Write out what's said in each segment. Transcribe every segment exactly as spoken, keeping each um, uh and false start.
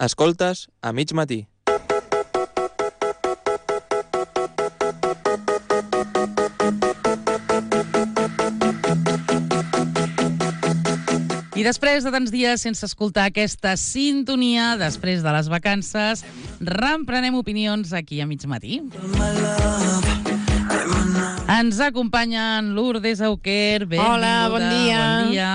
Escoltes a mig matí. I després de tants dies sense escoltar aquesta sintonia, després de les vacances, reemprenem opinions aquí a mig matí. Ens acompanyen Lourdes Auquer, benvinguda. Hola, bon dia. Bon dia.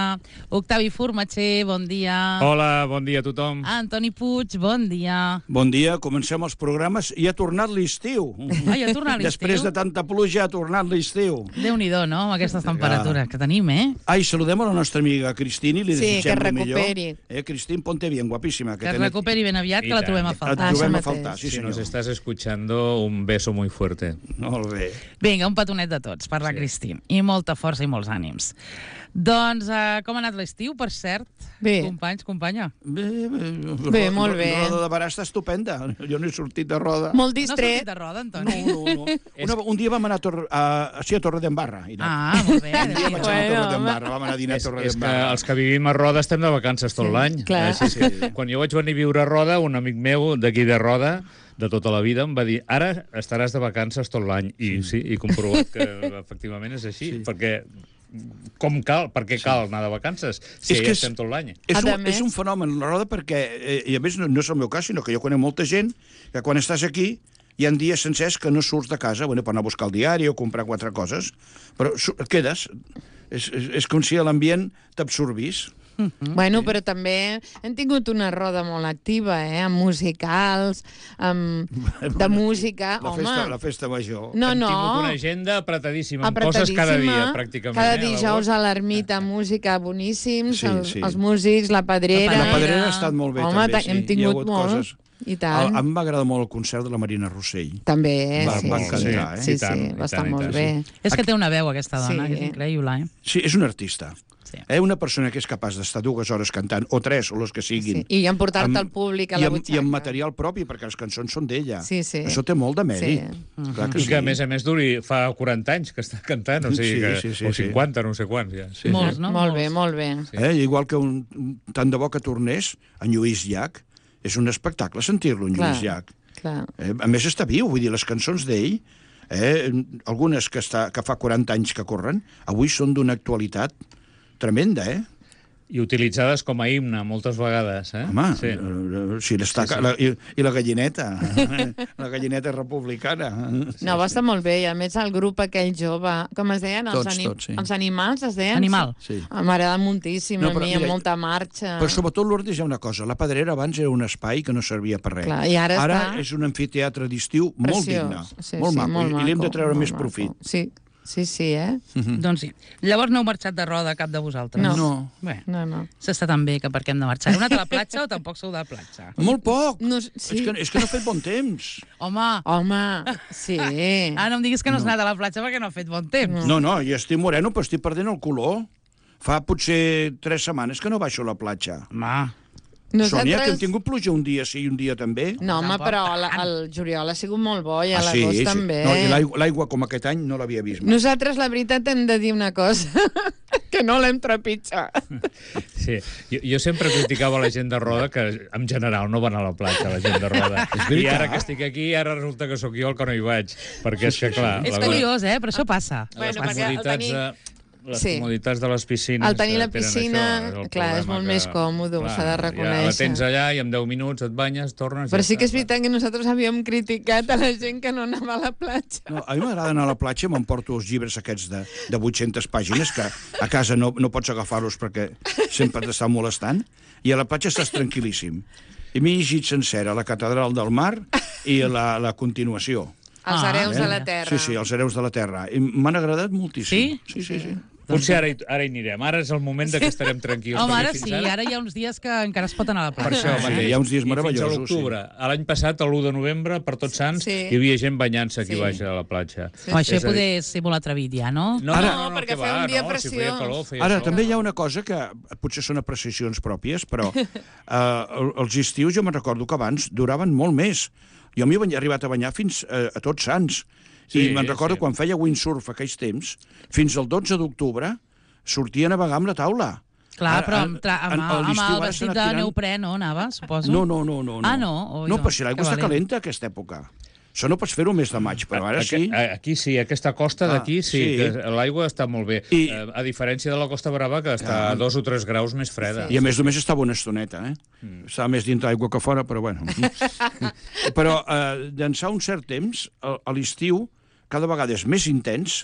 Octavi Formatxer, bon dia. Hola, bon dia a tothom. Antoni Puig, bon dia. Bon dia, comencem els programes i ha tornat l'estiu. Ah, ja ha tornat l'estiu? Després de tanta pluja ha tornat l'estiu. Déu-n'hi-do, no?, amb aquestes temperatures que tenim, eh? Ai, saludem a la nostra amiga Cristina i li Sí, desitgem que el millor. recuperi. Eh, Cristín, ponte bien, guapíssima. Que es recuperi ben aviat, que la trobem a Et faltar. trobem Ah, a faltar, sí Si senyor. nos estás escuchando, un beso muy fuerte. Molt bé. Vinga, un petonet de tots per la Sí. Cristín. I molta força i molts ànims. Doncs, uh, com ha anat l'estiu, per cert? Bé. Companys, companya? Bé, bé, Bé, molt bé. Roda de Barà està estupenda. Jo no he sortit de roda. Molt No has sortit distret. de roda, No, Antoni? no, no. Una, un dia vam anar a, Tor a, a, sí, a Torredembarra. i no. Ah, molt bé. Un dia vaig anar a Bueno, Torredembarra, vam anar a dinar a És, és que Torredembarra. els que vivim a Roda estem de vacances tot l'any. clar. Eh, sí, sí. Quan jo vaig venir a viure a Roda, un amic meu d'aquí de Roda, de tota la vida, em va dir ara estaràs de vacances tot l'any. I sí, he comprovat que efectivament és així, Sí. perquè com cal, per què cal anar de vacances si És ja que és- estem tot l'any? És A un, més- és un fenomen, la roda, perquè, eh, i a més no, no és el meu cas, sinó que jo conec molta gent que quan estàs aquí hi ha dies sencers que no surts de casa, bueno, per anar a buscar el diari o comprar quatre coses, però su- et quedes. És, és, és com si l'ambient t'absorbís. Bueno, però també hem tingut una roda molt activa, eh? Amb musicals, amb... de música, La home. festa, la festa major. No, Hem no. tingut una agenda apretadíssima, amb coses Apretadíssima. cada dia, pràcticament. Cada eh, a dijous l'agost. a l'ermita, música boníssims, Sí, els, sí. els músics, la pedrera... La La Pedrera ha estat molt bé, Home, també, ta- sí. hem Hi ha tingut hagut molt. coses. I A, tant. a mi m'agrada molt el concert de la Marina Rossell. També, Va- sí. va sí, encantar, eh? Sí, I tant, sí, i va estar tant, i molt tant, bé. És que té una veu, aquesta dona, Sí. que és increïble, eh? Sí, és un artista. Sí. Eh? Una persona que és capaç d'estar dues hores cantant, o tres, o les que siguin. Sí. I en portar-te amb- al públic a i la amb, butxaca. I amb material propi, perquè les cançons són d'ella. Sí, sí. Això té molt de mèrit. Sí. Clar que I sí. que, a més a més, duri fa quaranta anys que està cantant, o sigui Sí, que, sí, sí, o sí. cinquanta, no sé quants, ja. Sí, Molts, sí. no? Molt bé, Molts. molt bé. Eh? Igual que un, un- tant de bo que tornés en Lluís Llach. És un espectacle sentir-lo, en Lluís Clar. Llach. Clar. Eh? A més, està viu, vull dir, les cançons d'ell, eh? algunes que, està, que fa quaranta anys que corren, avui són d'una actualitat tremenda, eh? I utilitzades com a himne, moltes vegades, eh? Home, Sí. eh, si l'està... Sí, sí. La, i, I la gallineta, la gallineta republicana. No, va estar molt bé. I a més, el grup aquell jove, com es deien? Els, Tots, tots, sí. els animals, es deien? Animal. Sí. M'agrada moltíssim, No, a però mi, mira, amb molta marxa. Però sobretot, Lourdes, hi ha una cosa. La Pedrera abans era un espai que no servia per res. Clar, i ara ara està és un amfiteatre d'estiu molt digne. Sí, molt sí, maco. molt I, i li hem de maco, treure molt més maco. profit. Sí, sí, sí, eh? Doncs sí. Llavors no heu marxat de roda cap de vosaltres? No. No. Bé, No, no. s'està tan bé que per què hem de marxar. Heu anat a la platja o tampoc sou de platja? Molt poc. no És, sí. que, és que no ha fet bon temps. Home, Home, sí. ah, no em diguis que no has anat a la platja perquè no ha fet bon temps. No, no, i estic moreno, però estic perdent el color. Fa potser tres setmanes que no baixo a la platja. Home, Sònia, que hem tingut pluja un dia sí i un dia també. No, home, Tampoc però la, el juliol ha sigut molt bo i a Ah, sí, l'agost sí. també. No, i l'aigua- l'aigua com aquest any no l'havia vist mai. Nosaltres, la veritat, hem de dir una cosa, que no l'hem trepitjat. Sí. Jo, jo sempre criticava la gent de Roda, que en general no van a la platja, la gent de Roda. I ara que estic aquí, ara resulta que sóc jo el que no hi vaig. Perquè és que, clar... és la- curiós, eh? Però això passa. les Bueno, perquè el comoditats tenir- de... Les Sí. comoditats de les piscines... Al tenir la eh, tenen piscina, això, el clar, és problema molt que, més còmode, clar, s'ha de Ja la reconèixer. tens allà i en deu minuts et banyes, tornes... Però ja sí que és està. veritat que nosaltres havíem criticat a la gent que no anava a la platja. No, a mi m'agrada anar a la platja, m'emporto els llibres aquests de, de vuit-centes pàgines, que a casa no, no pots agafar-los perquè sempre t'estan molestant, i a la platja estàs tranquil·líssim. I m'he llegit sencera la Catedral del Mar i la, la continuació. Els Ah, hereus eh? de la terra. Sí, sí, els hereus de la terra. I m'han agradat moltíssim. Sí? Sí, sí, sí. Potser ara hi, ara hi anirem. Ara és el moment de que estarem tranquils. Home, perquè ara fins sí, ara hi ha uns dies que encara es pot anar a la Per platja. això Sí, mateix. hi ha uns dies I meravellosos, fins a l'octubre. L'any passat, l'u de novembre, per Tots Sants, Sí. hi havia gent banyant-se aquí Sí. baix a la platja. O això És a dir- poder ser molt atrevit ja, no? No, Ara- no, no, perquè que feia va, un dia no, si feia preciós. calor, feia Ara, sol. també hi ha una cosa que potser són apreciacions pròpies, però eh, els estius jo me'n recordo que abans duraven molt més. Jo m'hi he arribat a banyar fins a, a Tots Sants. Sí, I me'n recordo sí. quan feia windsurf aquells temps, fins al dotze d'octubre sortia a navegar amb la taula. Clar, Ara, però amb, tra en- amb, a amb l'estiu el ara vestit s'ha de anat tirant- neoprè no anava, suposo? No, no, no. no Ah, no? Oi, no, doncs, però si l'aigua que està valent. calenta a aquesta època. Això no pots fer-ho mes de maig, però ara sí. Aquí, aquí sí, aquesta costa Ah, d'aquí sí, sí. que l'aigua està molt bé. I- Eh, a diferència de la Costa Brava, que està a dos o tres graus més freda. I a més només estava una estoneta, eh? Mm. Estava més dintre l'aigua que fora, però bueno. Però eh, d'ençà un cert temps, a, a l'estiu, cada vegada és més intens,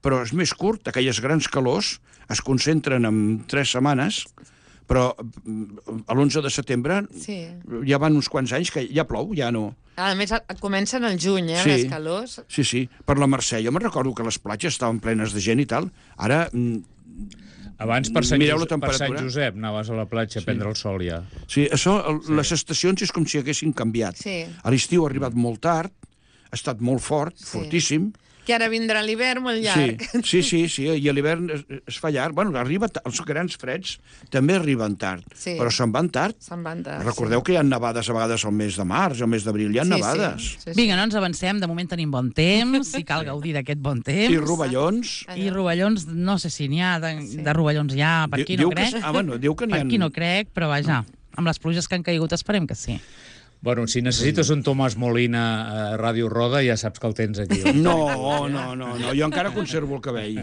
però és més curt. Aquelles grans calors es concentren en tres setmanes, però mm, a l'onze de setembre Sí. ja van uns quants anys que ja plou, ja no. A més, a- comencen al juny, eh, Sí. les calors. Sí, sí. Per la Mercè, jo me'n recordo que les platges estaven plenes de gent i tal. Ara, mm, Abans per Sant, Mireu la Josep, per Sant temperatura. Josep anaves a la platja a prendre el sol ja. sí, això, el, sí. les estacions és com si haguessin canviat. Sí. A l'estiu ha arribat molt tard, ha estat molt fort, Sí. fortíssim. Que ara vindrà l'hivern molt llarg. Sí, sí, sí, sí, i a l'hivern es, es fa llarg. Bueno, arriba, ta- els grans freds també arriben tard, Sí. però se'n van tard. Se'n van tard. Recordeu que hi ha nevades a vegades al mes de març, al mes d'abril, hi ha Sí, nevades. Sí, sí, sí. Vinga, no ens avancem, de moment tenim bon temps, i cal gaudir d'aquest bon temps. I rovellons. I rovellons, no sé si n'hi ha, de, Sí. de rovellons ja, per aquí Diu no que, crec. ah, bueno, diu que n'hi Per ha... aquí no crec, però vaja, amb les pluges que han caigut esperem que sí. Bueno, si necessites un Tomàs Molina a Ràdio Roda, ja saps que el tens aquí. No, no, no, no, jo encara conservo el cabell.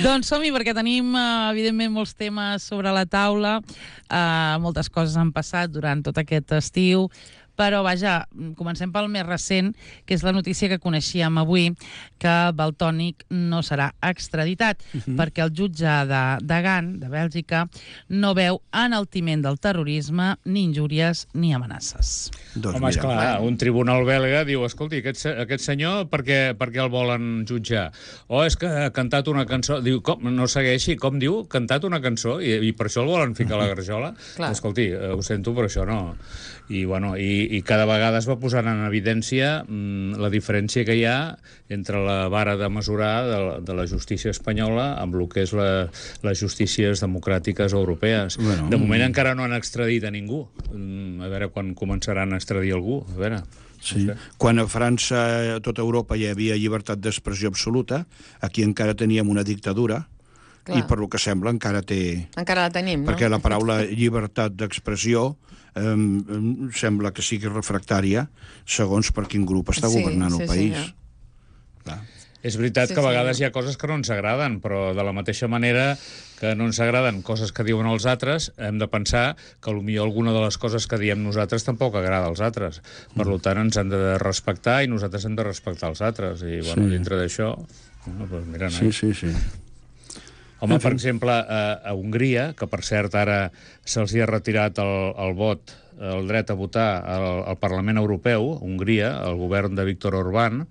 Doncs som-hi, perquè tenim, eh, evidentment, molts temes sobre la taula. Eh, moltes coses han passat durant tot aquest estiu, però, vaja, comencem pel més recent, que és la notícia que coneixíem avui, que Valtònyc no serà extraditat, uh -huh. perquè el jutge de, de Gant, de Bèlgica, no veu enaltiment del terrorisme, ni injúries, ni amenaces. Doncs Home, mira, esclar, un tribunal belga diu, escolti, aquest, se- aquest senyor per què, per què el volen jutjar? O és que ha cantat una cançó... Diu, com? No segueixi, com diu? Cantat una cançó i, i per això el volen ficar a la garjola? Clar. Escolti, eh, ho sento, però això no. I, bueno, i, i cada vegada es va posant en evidència mm, la diferència que hi ha entre la vara de mesurar de, la- de la justícia espanyola amb el que és la, les justícies democràtiques europees. Bueno. De moment encara no han extradit a ningú. Mm, A veure quan començaran a extradir algú. A veure... sí. Quan a França, a tota Europa, hi havia llibertat d'expressió absoluta, aquí encara teníem una dictadura, Clar. i per lo que sembla encara té... Encara la tenim, no? Perquè la paraula llibertat d'expressió eh, em sembla que sigui refractària segons per quin grup està Sí, governant sí, el país. senyor. Clar. És veritat Sí, que a sí. vegades hi ha coses que no ens agraden, però de la mateixa manera que no ens agraden coses que diuen els altres, hem de pensar que potser alguna de les coses que diem nosaltres tampoc agrada als altres. Per Mm. tant, ens han de respectar i nosaltres hem de respectar els altres. I, bueno, Sí. dintre d'això... Bueno, doncs mira, Sí, nois. sí, sí. Home, per exemple, a, a Hongria, que per cert ara se'ls hi ha retirat el, el vot, el dret a votar al, al Parlament Europeu, Hongria, el govern de Víctor Orbán,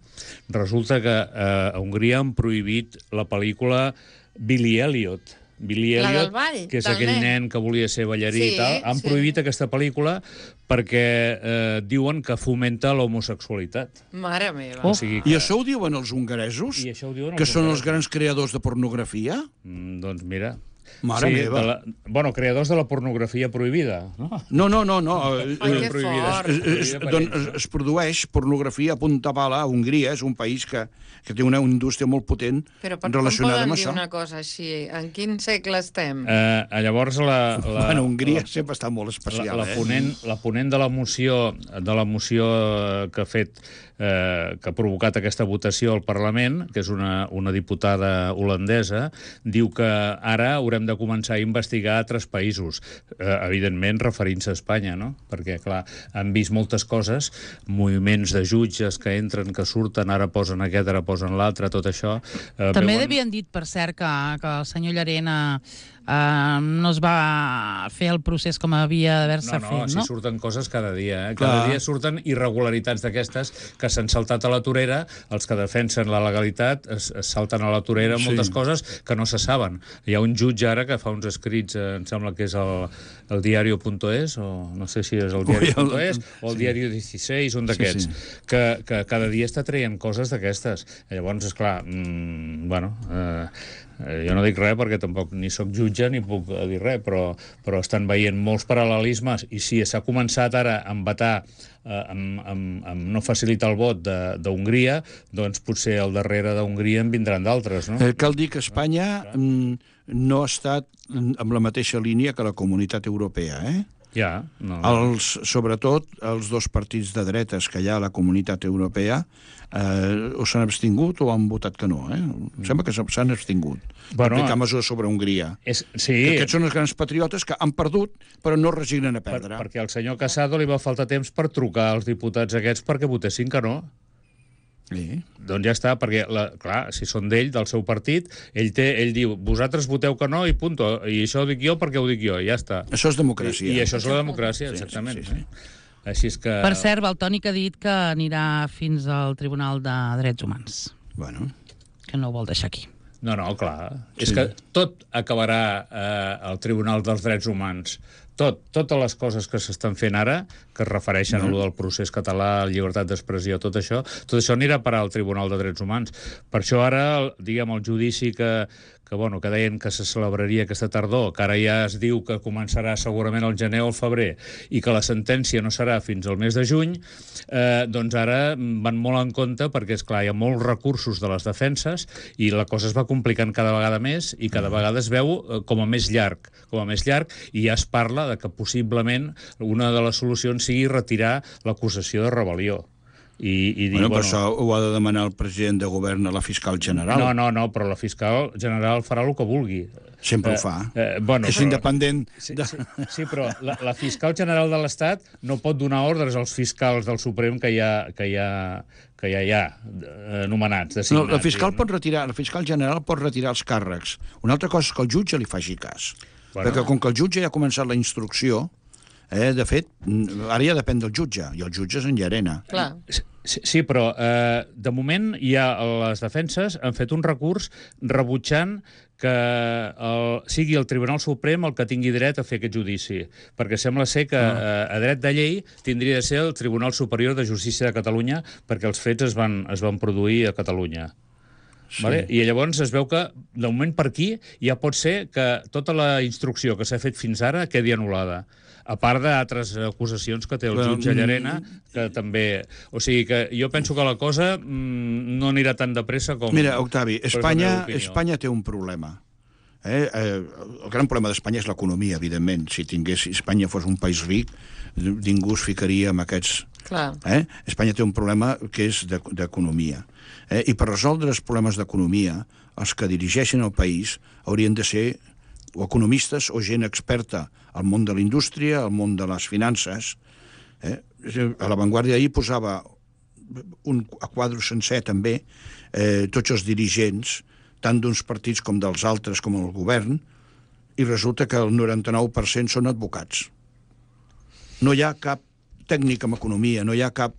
resulta que eh, a Hongria han prohibit la pel·lícula Billy Elliot. Billy La del Elliot, ball, que és del aquell nen. nen que volia ser ballarí Sí, i tal, han sí. prohibit aquesta pel·lícula perquè eh, diuen que fomenta l'homosexualitat. Mare meva. Oh. O sigui que... I això ho diuen els hongaresos? I això ho diuen Que els són els hongaresos. grans creadors de pornografia? Mm, doncs mira... Mare meva. De la, bueno, creadors de la pornografia prohibida, no? No, no, no, no. eh, Ai, que prohibida. fort. Es, es, doncs es, es produeix pornografia a punta pala a Hongria, és un país que, que té una indústria molt potent Però per com relacionada poden amb dir això. una cosa així? En quin segle estem? Eh, llavors, la... la Bueno, Hongria la, sempre està molt especial, la, la, eh? ponent, la ponent de la moció, de la moció eh, que ha fet, eh, que ha provocat aquesta votació al Parlament, que és una, una diputada holandesa, diu que ara haurem de començar a investigar altres països, eh, evidentment referint-se a Espanya, no? Perquè, clar, han vist moltes coses, moviments de jutges que entren, que surten, ara posen aquest, ara posen l'altre, tot això... Eh, També veuen... havien dit, per cert, que, que el senyor Llarena eh, no es va fer el procés com havia d'haver-se No, no, fet, si no? surten coses cada dia. Eh? Cada Clar. dia surten irregularitats d'aquestes que s'han saltat a la torera, els que defensen la legalitat es, es salten a la torera Sí. moltes coses que no se saben. Hi ha un jutge ara que fa uns escrits, eh, em sembla que és el, el diario.es, o no sé si és el diario.es, o el sí. diario dieciséis, un d'aquests, Sí, sí. que, que cada dia està traient coses d'aquestes. Llavors, esclar, mmm, bueno... Eh, Eh, jo no dic res perquè tampoc ni sóc jutge ni puc eh, dir res, però, però estan veient molts paral·lelismes i si s'ha començat ara a embatar, eh, amb, amb, amb no facilitar el vot de- d'Hongria, doncs potser al darrere d'Hongria en vindran d'altres, no? Eh, cal dir que Espanya mm, no ha estat amb la mateixa línia que la Comunitat Europea, eh? Ja, no. Els, sobretot els dos partits de dretes que hi ha a la Comunitat Europea eh, o s'han abstingut o han votat que no. Eh? Em sembla que s'han abstingut. Bueno, aplicar mesures sobre Hongria. És, sí. Que aquests són els grans patriotes que han perdut però no es resignen a Per, perdre. perquè al senyor Casado li va faltar temps per trucar als diputats aquests perquè votessin que no. Sí. Doncs ja està, perquè, la, clar, si són d'ell, del seu partit, ell, té, ell diu, vosaltres voteu que no i punto. I això ho dic jo perquè ho dic jo, i ja està. Això és democràcia. I, i això és la democràcia, exactament. Sí, sí, sí. Així és que... Per cert, Valtònic ha dit que anirà fins al Tribunal de Drets Humans, Bueno. que no ho vol deixar aquí. No, no, clar. Sí. És que tot acabarà eh, al Tribunal dels Drets Humans. Tot, totes les coses que s'estan fent ara, que es refereixen no. a allò del procés català, llibertat d'expressió, tot això, tot això anirà a parar al Tribunal de Drets Humans. Per això ara, diguem, el judici que, que, bueno, que deien que se celebraria aquesta tardor, que ara ja es diu que començarà segurament al gener o al febrer, i que la sentència no serà fins al mes de juny, eh, doncs ara van molt en compte, perquè, és clar, hi ha molts recursos de les defenses, i la cosa es va complicant cada vegada més, i cada vegada es veu eh, com a més llarg, com a més llarg, i ja es parla de que possiblement una de les solucions sigui retirar l'acusació de rebel·lió. I, i dir, Bueno, bueno, però això ho ha de demanar el president de govern a la fiscal general. no, no, no, però la fiscal general farà el que vulgui. Sempre Eh, ho fa. eh, bueno, és però- independent. Sí, De... sí, sí, però la, la fiscal general de l'Estat no pot donar ordres als fiscals del Suprem que hi ha, que hi ha, que ja hi ha eh, nomenats, No, designats. la fiscal diguem. pot retirar, la fiscal general pot retirar els càrrecs. Una altra cosa és que el jutge li faci cas. Bueno. Perquè com que el jutge ja ha començat la instrucció, eh, de fet, mm, ara ja depèn del jutge, i el jutge és en Llarena. Clar. Sí, sí, però eh, de moment hi ha les defenses han fet un recurs rebutjant que el, sigui el Tribunal Suprem el que tingui dret a fer aquest judici, perquè sembla ser que eh, a dret de llei tindria de ser el Tribunal Superior de Justícia de Catalunya, perquè els fets es van, es van produir a Catalunya. Sí. Vale? I llavors es veu que, de moment per aquí, ja pot ser que tota la instrucció que s'ha fet fins ara quedi anul·lada. A part d'altres acusacions que té el Bueno, jutge Llarena, que també... O sigui que jo penso que la cosa mm, no anirà tan de pressa com... Mira, Octavi, però és la Espanya, meva opinió. Espanya té un problema. Eh? Eh, el gran problema d'Espanya és l'economia, evidentment. Si tingués, si Espanya fos un país ric, ningú es ficaria amb aquests... Clar. Eh? Espanya té un problema que és de- d'economia. Eh? I per resoldre els problemes d'economia, els que dirigeixen el país haurien de ser o economistes o gent experta al món de la indústria, al món de les finances. Eh? A l'avantguàrdia ahir posava un a quadre sencer també, eh, tots els dirigents, tant d'uns partits com dels altres, com el govern, i resulta que el noranta-nou per cent són advocats. No hi ha cap tècnic en economia, no hi ha cap,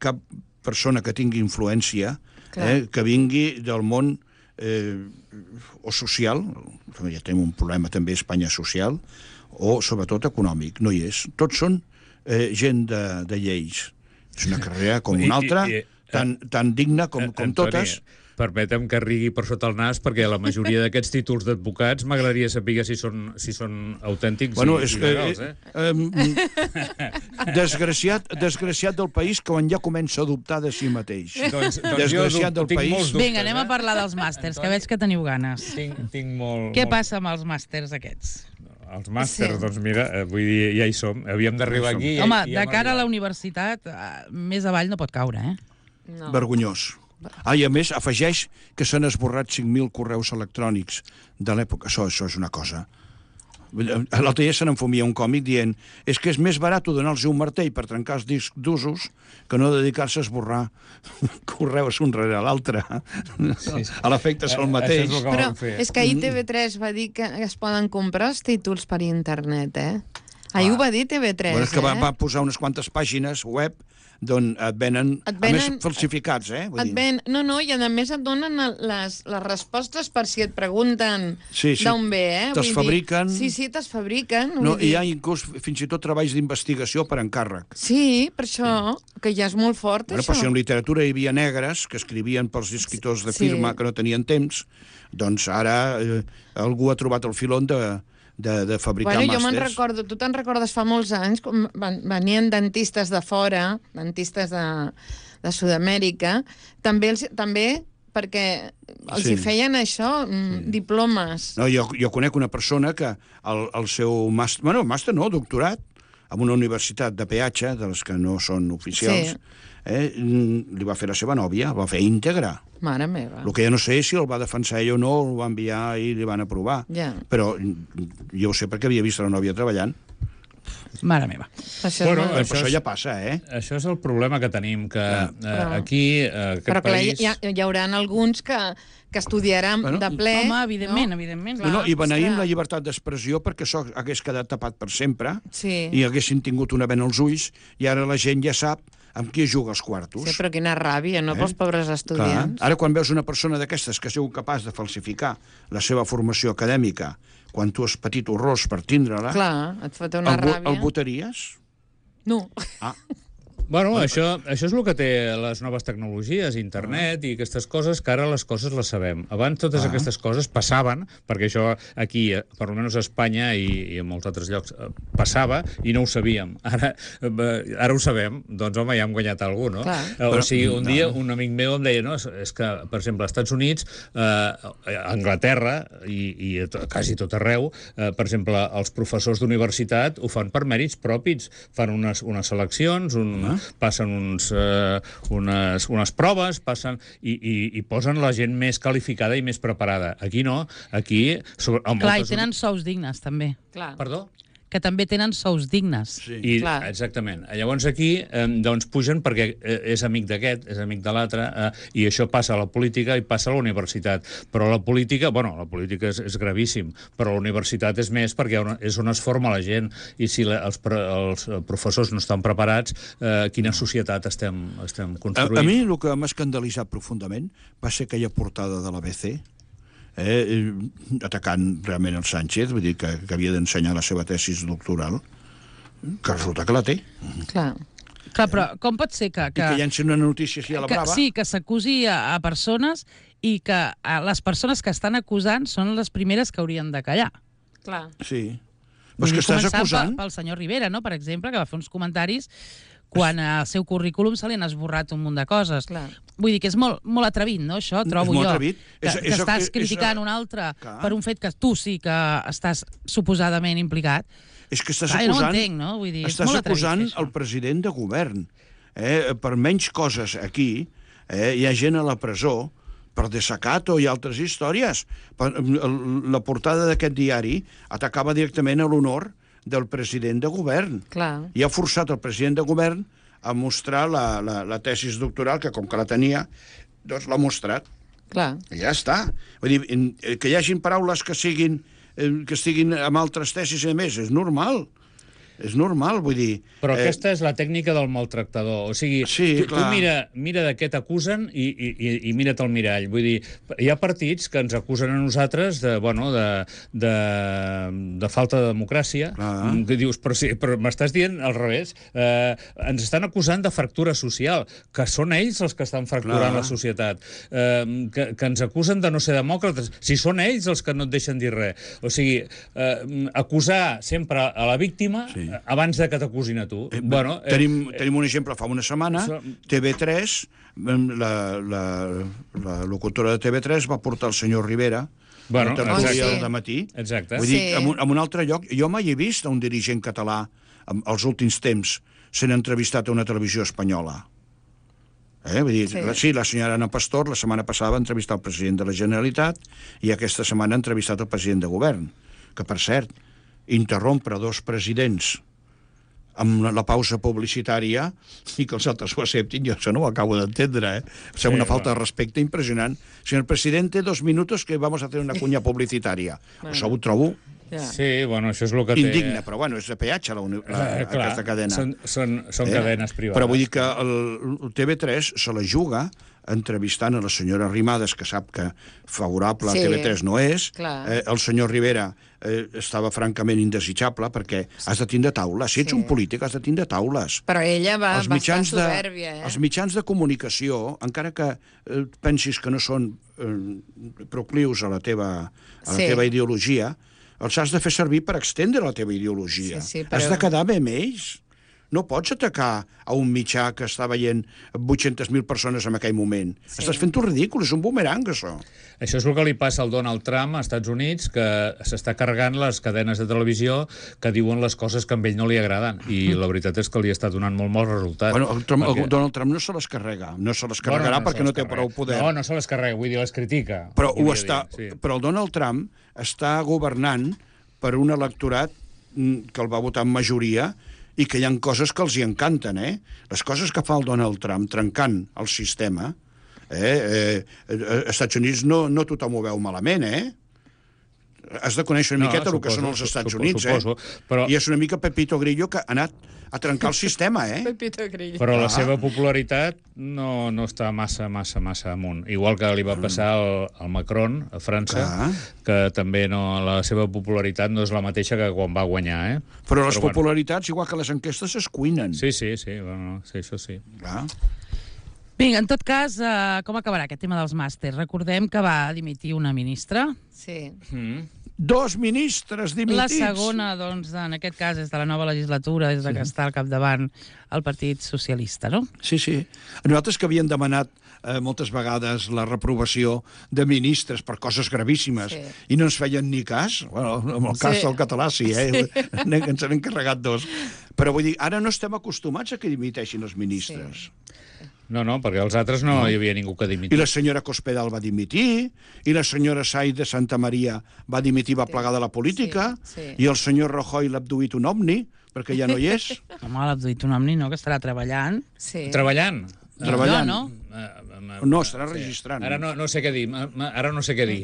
cap persona que tingui influència eh, que vingui del món eh, o social, ja tenim un problema també a Espanya social, o sobretot econòmic, no hi és. Tots són eh, gent de, de lleis. És una carrera com una altra, I- i- tan, tan digna com, com Antoni, totes. permetem que rigui per sota el nas, perquè la majoria d'aquests títols d'advocats m'agradaria saber si són, si són autèntics Bueno, i, és i que, legals, eh? eh, desgraciat, desgraciat del país que quan ja comença a dubtar de si mateix. Doncs, doncs Desgraciat jo del tinc país. molts dubtes, Vinga, anem a eh? parlar dels màsters, que veig que teniu ganes. Tinc, tinc molt... Què molt... passa amb els màsters aquests? Els màsters, Sí. doncs mira, eh, vull dir, ja hi som. Havíem d'arribar aquí. i- Home, i de hem cara a la arribat. universitat, eh, més avall no pot caure, eh? No. Vergonyós. Ah, i a més, afegeix que s'han esborrat cinc mil correus electrònics de l'època. Això, això és una cosa. L'altre dia se n'enfumia un còmic dient és que és més barat donar-los un martell per trencar els discs d'usos que no dedicar-se a esborrar correus un rere l'altre. Sí, sí. A l'efecte és el Eh, mateix. això és el que Però vam fer. és que ahir T V tres va dir que es poden comprar els títols per internet, eh? Ahir ho va dir T V tres, Bueno, és que va, eh? va posar unes quantes pàgines web d'on et venen, Et a venen- més, falsificats, eh? Vull Et dir. ven, no, no, i a més et donen el- les, les respostes per si et pregunten Sí, sí. d'on ve, eh? Te'ls Vull dir- fabriquen. Sí, sí, te'ls fabriquen. No, vull dir- hi ha inclús fins i tot treballs d'investigació per encàrrec. Sí, per això, que ja és molt fort, Bueno, això. però si en literatura hi havia negres que escrivien pels escriptors de Sí. firma que no tenien temps, doncs ara eh, algú ha trobat el filon de, de, de fabricar Bueno, jo me'n màsters. recordo, tu te'n recordes fa molts anys, com van, venien dentistes de fora, dentistes de, de Sud-amèrica, també, els, també perquè els Sí. hi feien això, mm, diplomes. No, jo, jo conec una persona que el, el seu màster, bueno, màster no, doctorat, en una universitat de peatge, de les que no són oficials, Sí. eh, li va fer la seva nòvia, el va fer íntegre. Mare meva. El que jo no sé és si el va defensar ell o no, el va enviar i li van aprovar. Ja. Però jo ho sé perquè havia vist la nòvia treballant. Mare meva. Això Bueno, és molt... Però Això això és- ja passa, eh? Això és el problema que tenim, que eh, Però- aquí, eh, aquest Però clar, país... hi, ha, hi haurà alguns que, que estudiaran Bueno, de ple. Home, evidentment, no? evidentment. No, no, I beneïm ostres. la llibertat d'expressió perquè això hagués quedat tapat per sempre Sí. i haguessin tingut una vena als ulls i ara la gent ja sap amb qui es juga els quartos. Sí, però quina ràbia, no? Eh? Pels pobres Clar. estudiants. Ara, quan veus una persona d'aquestes que ha sigut capaç de falsificar la seva formació acadèmica quan tu has patit horrors per tindre-la, Clar, et fot una el, vo- ràbia. el votaries? No. Ah, Bueno, això, això és el que té les noves tecnologies, internet i aquestes coses, que ara les coses les sabem. Abans totes Ah. aquestes coses passaven, perquè això aquí, eh, per almenys a Espanya i, i en molts altres llocs, eh, passava i no ho sabíem. Ara, eh, ara ho sabem, doncs home, ja hem guanyat algú, no? Clar. Eh, O Però- sigui, un no. dia un amic meu em deia, no, és, és que, per exemple, als Estats Units, eh, a Anglaterra i, i a to- quasi tot arreu, eh, per exemple, els professors d'universitat ho fan per mèrits propis, fan unes, unes seleccions, un, passen uns, eh, unes, unes proves, passen i, i, i posen la gent més qualificada i més preparada. Aquí no, aquí... Sobre, en Clar, i moltes tenen sous dignes, també. Clar. Perdó? Que també tenen sous dignes. sí. I, Clar. exactament. Llavors aquí eh, doncs pugen perquè eh, és amic d'aquest, és amic de l'altre, eh, i això passa a la política i passa a la universitat. Però la política, bueno, la política és, és gravíssim, però la universitat és més perquè on- és on es forma la gent, i si la, els, pre- els professors no estan preparats, eh, quina societat estem, estem A, construint? a mi el que m'ha escandalitzat profundament va ser aquella portada de l'A B C, eh, atacant realment el Sánchez, vull dir que, que havia d'ensenyar la seva tesis doctoral, que resulta que la té. Clar. Clar, però com pot ser que... I que llancin una notícia així a la que, brava. sí, que s'acusi a, a persones i que a les persones que estan acusant són les primeres que haurien de callar. Clar. Sí. Però és Vull que dir, estàs començant acusant... Pel, pel senyor Rivera, no?, per exemple, que va fer uns comentaris quan al seu currículum se li han esborrat un munt de coses. Clar. Vull dir que és molt, molt atrevit, no?, això, trobo molt jo. atrevit. Que, És- que és- estàs és- criticant és- un altre Clar. per un fet que tu sí que estàs suposadament implicat. És que estàs Clar, jo no ho acusant... entenc, no? Vull dir, és estàs molt atrevit acusant fer això. el president de govern. Eh? Per menys coses aquí, eh? hi ha gent a la presó per desacato i altres històries. Per, la portada d'aquest diari atacava directament a l'honor del president de govern. Clar. I ha forçat el president de govern a mostrar la, la, la tesis doctoral, que com que la tenia, doncs l'ha mostrat. Clar. I ja està. Vull dir, en- eh, que hi hagin paraules que siguin eh, que estiguin amb altres tesis i a més, és normal. És normal, vull dir... Però eh... aquesta és la tècnica del maltractador. O sigui, Sí, tu, tu clar. mira, mira de què t'acusen i, i, i, i mira't al mirall. Vull dir, hi ha partits que ens acusen a nosaltres de, bueno, de, de, de falta de democràcia. Clar. Que dius, però, sí, però m'estàs dient al revés. Eh, ens estan acusant de fractura social, que són ells els que estan fracturant Clar. la societat. Eh, que, que ens acusen de no ser demòcrates. Si són ells els que no et deixen dir res. O sigui, eh, acusar sempre a la víctima Sí. abans de que t'acusin a tu. Eh, bueno, eh, tenim, tenim un exemple fa una setmana, Això- T V tres, la, la, la locutora de T V tres va portar el senyor Rivera Bueno, a la tertúlia exacte. del matí. Exacte. Vull dir, Sí. en un, en un altre lloc, jo mai he vist a un dirigent català en els últims temps sent entrevistat a una televisió espanyola. Eh? Vull dir, Sí. sí. La, sí, la senyora Ana Pastor la setmana passada va entrevistar el president de la Generalitat i aquesta setmana ha entrevistat el president de govern, que per cert, interrompre dos presidents amb la, la pausa publicitària i que els altres ho acceptin, jo això no ho acabo d'entendre, eh? O sigui, Sí, una falta bueno. de respecte impressionant. Señor presidente, dos minutos que vamos a hacer una cuña publicitària. Bueno. Això ho trobo Ja. Sí, bueno, això és el que té... indigne, però bueno, és de peatge la, uni- la, Eh, clar, aquesta cadena. Són, són, són Eh? cadenes privades. Però vull dir que el, el T V tres se la juga entrevistant a la senyora Arrimadas, que sap que favorable Sí, a T V tres no és. clar. Eh, el senyor Rivera eh, estava francament indesitjable perquè has de tindre taules. Si ets Sí. un polític has de tindre taules. Però ella va, els va estar mitjans, de, soberbia, eh? els mitjans de comunicació, encara que eh, pensis que no són eh, proclius a la teva, a la Sí. teva ideologia, els has de fer servir per extendre la teva ideologia. Sí, sí, Has però- de quedar bé amb ells. no pots atacar a un mitjà que està veient vuit-centes mil persones en aquell moment. Sí. Estàs fent-ho ridícul, és un bumerang, això. Això és el que li passa al Donald Trump als Estats Units, que s'està carregant les cadenes de televisió que diuen les coses que a ell no li agraden. I la veritat és que li està donant molt mal resultat. Bueno, el, Trump, perquè... el Donald Trump no se les carrega. No se les carregarà bueno, no perquè no té prou poder. No, no se les carrega, vull dir, les critica. Però, ho està, dir, sí. però el Donald Trump està governant per un electorat que el va votar en majoria i que hi ha coses que els hi encanten, eh? Les coses que fa el Donald Trump trencant el sistema, eh? eh als Estats Units no, no tothom ho veu malament, eh? Has de conèixer una no, miqueta suposo, el que són els Estats suposo, Units, suposo, eh? Però... I és una mica Pepito Grillo que ha anat a trencar el sistema, eh? Pepito Grillo. Però la seva popularitat no, no està massa, massa, massa amunt. Igual que li va passar al, al Macron, a França, Clar. que també no, la seva popularitat no és la mateixa que quan va guanyar, eh? Però les Però, popularitats, bueno. igual que les enquestes, es cuinen. Sí, sí, sí, bueno, sí això sí. Clar. Vinga, en tot cas, uh, com acabarà aquest tema dels màsters? Recordem que va dimitir una ministra. Sí. Mm. Dos ministres dimitits. La segona, doncs, en aquest cas, és de la nova legislatura, des de que sí. està al capdavant el Partit Socialista, no? Sí, sí. Nosaltres que havíem demanat eh, moltes vegades la reprovació de ministres per coses gravíssimes sí. i no ens feien ni cas, bueno, en el cas sí. del català sí, eh? Sí. Ens han encarregat dos. Però vull dir, ara no estem acostumats a que dimiteixin els ministres. Sí. No, no, perquè els altres no, no hi havia ningú que dimitir. I la senyora Cospedal va dimitir, i la senyora Saiz de Santa Maria va dimitir, va plegar de la política, sí, sí. i el senyor Rajoy l'ha abduït un omni, perquè ja no hi és. Home, l'ha abduït un omni, no?, que estarà treballant. Sí. Treballant? Treballant. No, no. No, estarà sí. registrant. Ara no, no sé què dir. Ara no sé què dir.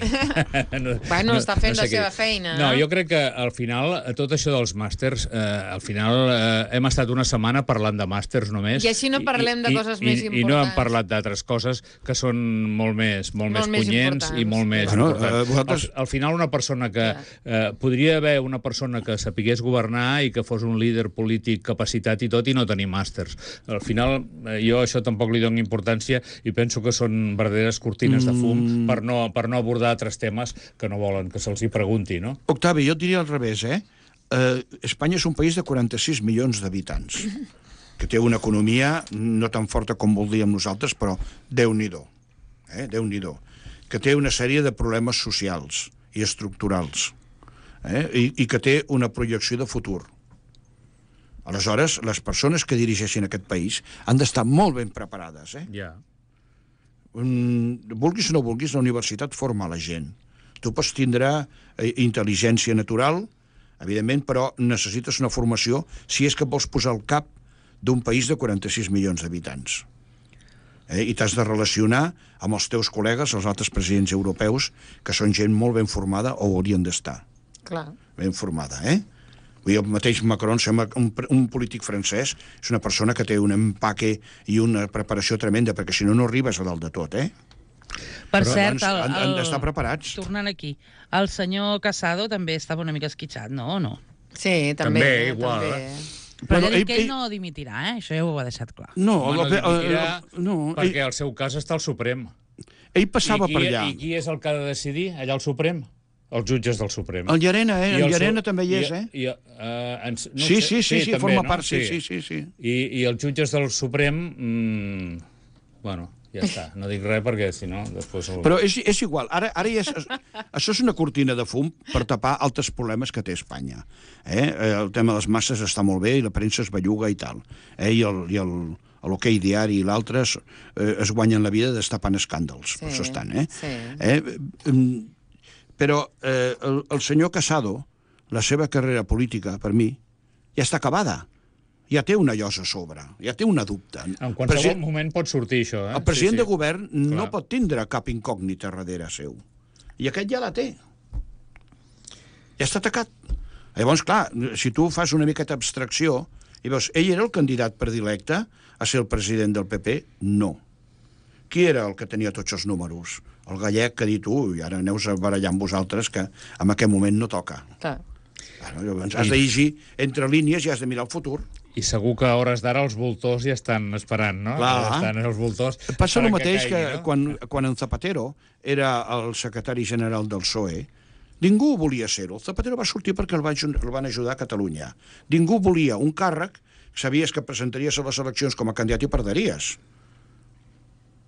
no, bueno, està fent no sé la seva dir. feina. No, jo crec que al final, tot això dels màsters, eh, al final eh, hem estat una setmana parlant de màsters només. I així no parlem i, de coses i, més i, importants. I no hem parlat d'altres coses que són molt més, molt, molt més punyents i molt més bueno, importants. Uh, vosaltres... al, al final, una persona que... Eh, podria haver una persona que sapigués governar i que fos un líder polític capacitat i tot, i no tenir màsters. Al final, eh, jo això tampoc li dono importància i penso que són verdaderes cortines de fum mm. per, no, per no abordar altres temes que no volen que se'ls hi pregunti, no? Octavi, jo et diria al revés, eh? eh? Espanya és un país de quaranta-sis milions d'habitants, que té una economia no tan forta com voldríem nosaltres, però Déu-n'hi-do, eh? Déu-n'hi-do, que té una sèrie de problemes socials i estructurals, eh? I, i que té una projecció de futur. Aleshores, les persones que dirigeixin aquest país han d'estar molt ben preparades, eh? Ja. Yeah. Um, vulguis o no vulguis, la universitat forma la gent. Tu pots tindre eh, intel·ligència natural, evidentment, però necessites una formació si és que vols posar el cap d'un país de quaranta-sis milions d'habitants. Eh? I t'has de relacionar amb els teus col·legues, els altres presidents europeus, que són gent molt ben formada o haurien d'estar. Clar. Ben formada, eh? Vull dir, el mateix Macron, sembla un, un polític francès, és una persona que té un empaque i una preparació tremenda, perquè si no, no arribes a dalt de tot, eh? Per Però cert, el, han, han d'estar preparats. Tornant aquí, el senyor Casado també estava una mica esquitxat, no o no? Sí, també. També, igual. També. Però bueno, ell, que ell, ell no dimitirà, eh? Això ja ho ha deixat clar. No, Home, no dimitirà uh, no, perquè ell, el seu cas està al Suprem. Ell passava I qui, per allà. I qui és el que ha de decidir allà al Suprem? Els jutges del Suprem. El Llarena, eh? El, el Llarena su... també hi és, eh? I, i, uh, ens... no sí, sé, sí, sí, sí, sí, també, forma no? part, sí, sí, sí. sí. I, I els jutges del Suprem... Mmm, bueno, ja està. No dic res perquè, si no, després... El... Però és, és igual. Ara, ara ja és, això és una cortina de fum per tapar altres problemes que té Espanya. Eh? El tema de les masses està molt bé i la premsa es belluga i tal. Eh? I el... I el l'Hoquei Diari i l'altre es, eh, es guanyen la vida destapant escàndals. Sí, per això estan, eh? Sí. eh? Però eh, el, el senyor Casado, la seva carrera política, per mi, ja està acabada. Ja té una llosa a sobre, ja té una dubte. En qualsevol Presi... moment pot sortir això, eh? El president sí, sí. de govern Clar. no pot tindre cap incògnita darrere seu. I aquest ja la té. Ja està atacat. Llavors, clar, si tu fas una miqueta d'abstracció i veus, ell era el candidat predilecte a ser el president del P P? No. Qui era el que tenia tots els números? El gallec que ha dit, ui, ara aneu a barallar amb vosaltres, que en aquest moment no toca. Clar. Bueno, llavors, has de llegir entre línies i has de mirar el futur. I segur que a hores d'ara els voltors ja estan esperant, no? Clar. Ja estan els voltors... Passa el mateix que, caigui, no? quan, quan en Zapatero era el secretari general del P S O E, ningú volia ser-ho. El Zapatero va sortir perquè el van, el van ajudar a Catalunya. Ningú volia un càrrec sabies que presentaries a les eleccions com a candidat i perderies.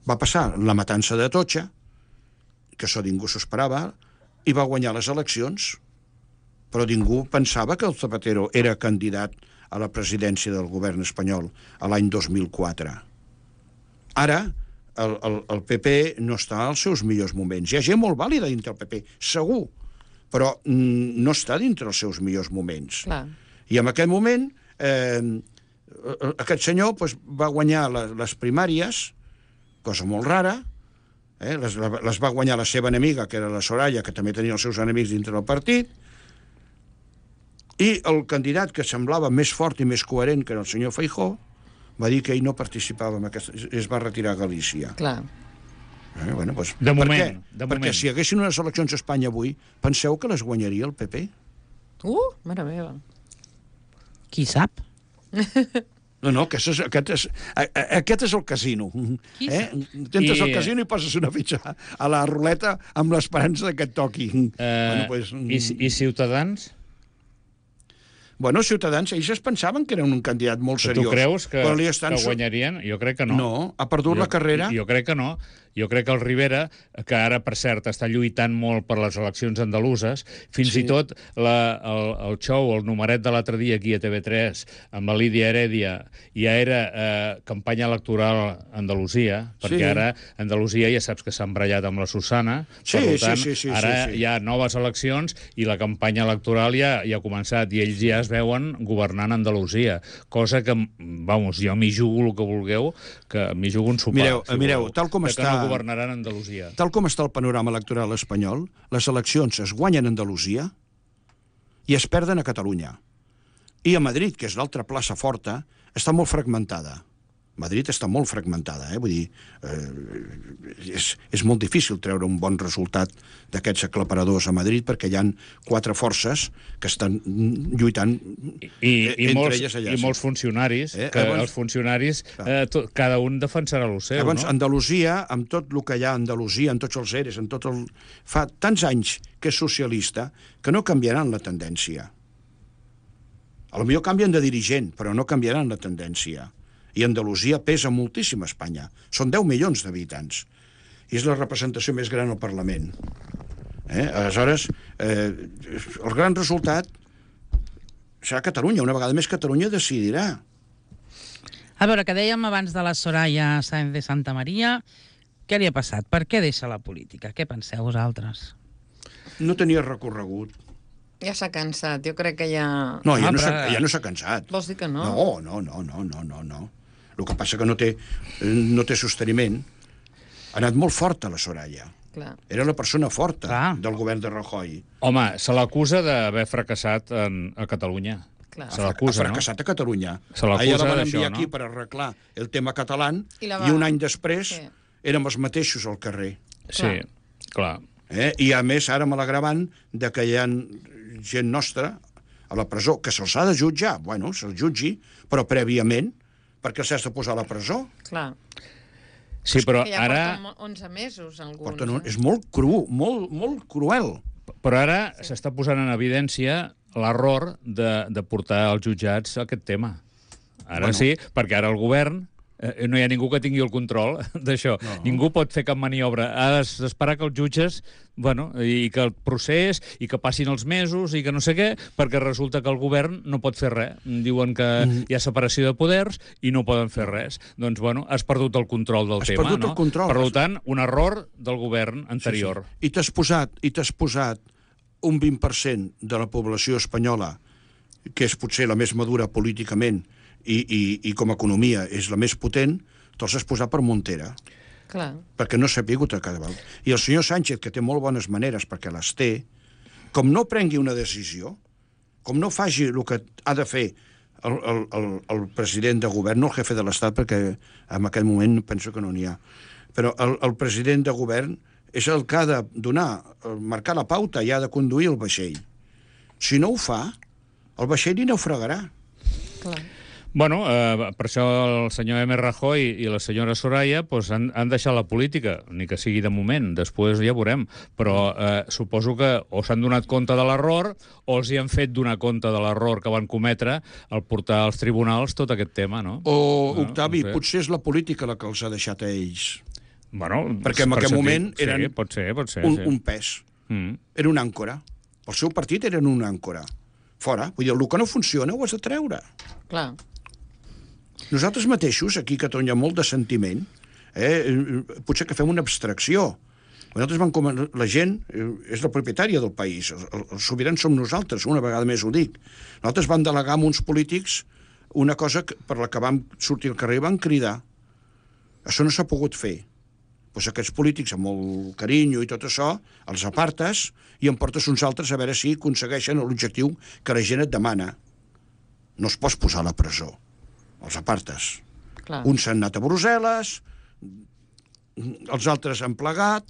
Va passar la matança de Atocha, que això ningú s'ho esperava, i va guanyar les eleccions, però ningú pensava que el Zapatero era candidat a la presidència del govern espanyol a l'any dos mil quatre. Ara, el, el, el P P no està als seus millors moments. Hi ha gent molt vàlida dintre el P P, segur, però mm, no està dintre els seus millors moments. Clar. I en aquest moment, eh, aquest senyor pues, va guanyar les, les primàries, cosa molt rara, eh, les, les va guanyar la seva enemiga, que era la Soraya, que també tenia els seus enemics dintre del partit, i el candidat que semblava més fort i més coherent, que era el senyor Feijóo, va dir que ell no participava en aquesta... es va retirar a Galícia. Clar. Eh, bueno, doncs, De per moment, què? de Perquè moment. si hi haguessin unes eleccions a Espanya avui, penseu que les guanyaria el P P? Uh, mare meva. Qui sap? No, no, aquest és, aquest és, a- a- aquest és el casino. Qui Eh? Tentes I- el casino i poses una fitxa a la ruleta amb l'esperança que et toqui. Eh, bueno, pues, i, I Ciutadans? Bueno, Ciutadans, ells es pensaven que era un candidat molt Tu seriós. creus que, però li que estan... guanyarien? Jo crec que no. No, ha perdut jo, la carrera. Jo crec que no. Jo crec que el Rivera, que ara, per cert, està lluitant molt per les eleccions andaluses, fins Sí. i tot la, el, el show, el numeret de l'altre dia aquí a T V tres, amb la Lídia Heredia, ja era eh, campanya electoral a Andalusia, perquè Sí. ara Andalusia ja saps que s'ha embrellat amb la Susana, Sí, per sí, tant, sí, sí, ara sí, sí. hi ha noves eleccions i la campanya electoral ja, ja ha començat, i ells ja es veuen governant Andalusia, cosa que, vamos, jo m'hi jugo el que vulgueu, que m'hi jugo un sopar. Mireu, si mireu, voleu, tal com de està- que no governaran Andalusia. Tal com està el panorama electoral espanyol, les eleccions es guanyen a Andalusia i es perden a Catalunya. I a Madrid, que és l'altra plaça forta, està molt fragmentada. Madrid està molt fragmentada, eh? Vull dir, eh, és, és molt difícil treure un bon resultat d'aquests aclaparadors a Madrid perquè hi han quatre forces que estan lluitant I, i, entre molts, elles allà. i sí. molts funcionaris, Eh, que llavors- els funcionaris, eh, tot, cada un defensarà el seu, Llavors, no? Andalusia, amb tot el que hi ha a Andalusia, amb tots els eres, amb tot el... fa tants anys que és socialista que no canviaran la tendència. A lo millor canvien de dirigent, però no canviaran la tendència. I Andalusia pesa moltíssim a Espanya. Són deu milions d'habitants. I és la representació més gran al Parlament. Eh? Aleshores, eh, el gran resultat serà Catalunya. Una vegada més Catalunya decidirà. A veure, que dèiem abans de la Soraya Sáenz de Santa Maria, què li ha passat? Per què deixa la política? Què penseu vosaltres? No tenia recorregut. Ja s'ha cansat, jo crec que ja... No, ja Ah, no s'ha però- ja no s'ha cansat. Vols dir que no? No, no, no, no, no, no, no. El que passa que no té, no té sosteniment. Ha anat molt forta la Soraya. Clar. Era la persona forta Clar. del govern de Rajoy. Home, se l'acusa d'haver fracassat en, a Catalunya. Clar. Se Ha l'acusa, no? fracassat a Catalunya. Se l'acusa A ella la van d'això, enviar no? aquí per arreglar el tema català I i, la va- un any després Sí. érem els mateixos al carrer. Sí, clar. Eh? I a més, ara amb l'agravant de que hi ha gent nostra a la presó, que se'ls ha de jutjar. Bueno, se'ls jutgi, però prèviament, perquè s'has de posar a la presó. Clar. Sí, però Que ja ara, porten onze mesos, alguns. Porten un... eh? És molt cru, molt, molt cruel. però ara s'està posant en evidència l'error de, de portar als jutjats aquest tema. Ara Bueno. sí, perquè ara el govern eh, no hi ha ningú que tingui el control d'això. No. Ningú pot fer cap maniobra. Ha d'esperar que els jutges, bueno, i que el procés, i que passin els mesos, i que no sé què, perquè resulta que el govern no pot fer res. Diuen que Mm. hi ha separació de poders i no poden fer res. Doncs, bueno, has perdut el control del Has tema, perdut no? el control. Per tant, un error del govern anterior. Sí, sí. I t'has posat, i t'has posat un vint per cent de la població espanyola, que és potser la més madura políticament i, i, i com a economia és la més potent, te'ls has posat per Montera, Clar. perquè no s'ha pigut a cada volta. I el senyor Sánchez, que té molt bones maneres, perquè les té, com no prengui una decisió, com no faci el que ha de fer el, el, el, el president de govern, no el jefe de l'Estat, perquè en aquest moment penso que no n'hi ha, però el, el president de govern és el que ha de donar, marcar la pauta i ha de conduir el vaixell. Si no ho fa, el vaixell hi naufragarà. Clar. Bueno, eh, per això el senyor M. Rajoy i la senyora Soraya pues, han, han deixat la política, ni que sigui de moment, després ja veurem, però eh, suposo que o s'han donat compte de l'error o els hi han fet donar compte de l'error que van cometre al portar als tribunals tot aquest tema, no? O, no, Octavi, no sé. potser és la política la que els ha deixat a ells. Bueno, Perquè en per aquell sentit, moment eren sí, pot ser, pot ser, un, sí. un pes. Mm. Era una àncora. El seu partit eren una àncora. Fora. Vull dir, el que no funciona ho has de treure. Clar. Nosaltres mateixos, aquí a Catalunya, molt de sentiment, eh, potser que fem una abstracció. Nosaltres vam com... La gent és la propietària del país. Els sobirans som nosaltres, una vegada més ho dic. Nosaltres vam delegar amb uns polítics una cosa per la que vam sortir al carrer i vam cridar. Això no s'ha pogut fer. Doncs aquests polítics, amb molt carinyo i tot això, els apartes i en portes uns altres a veure si aconsegueixen l'objectiu que la gent et demana. No es pots posar a la presó. Els apartes. Clar. Uns s'han anat a Brussel·les, els altres han plegat,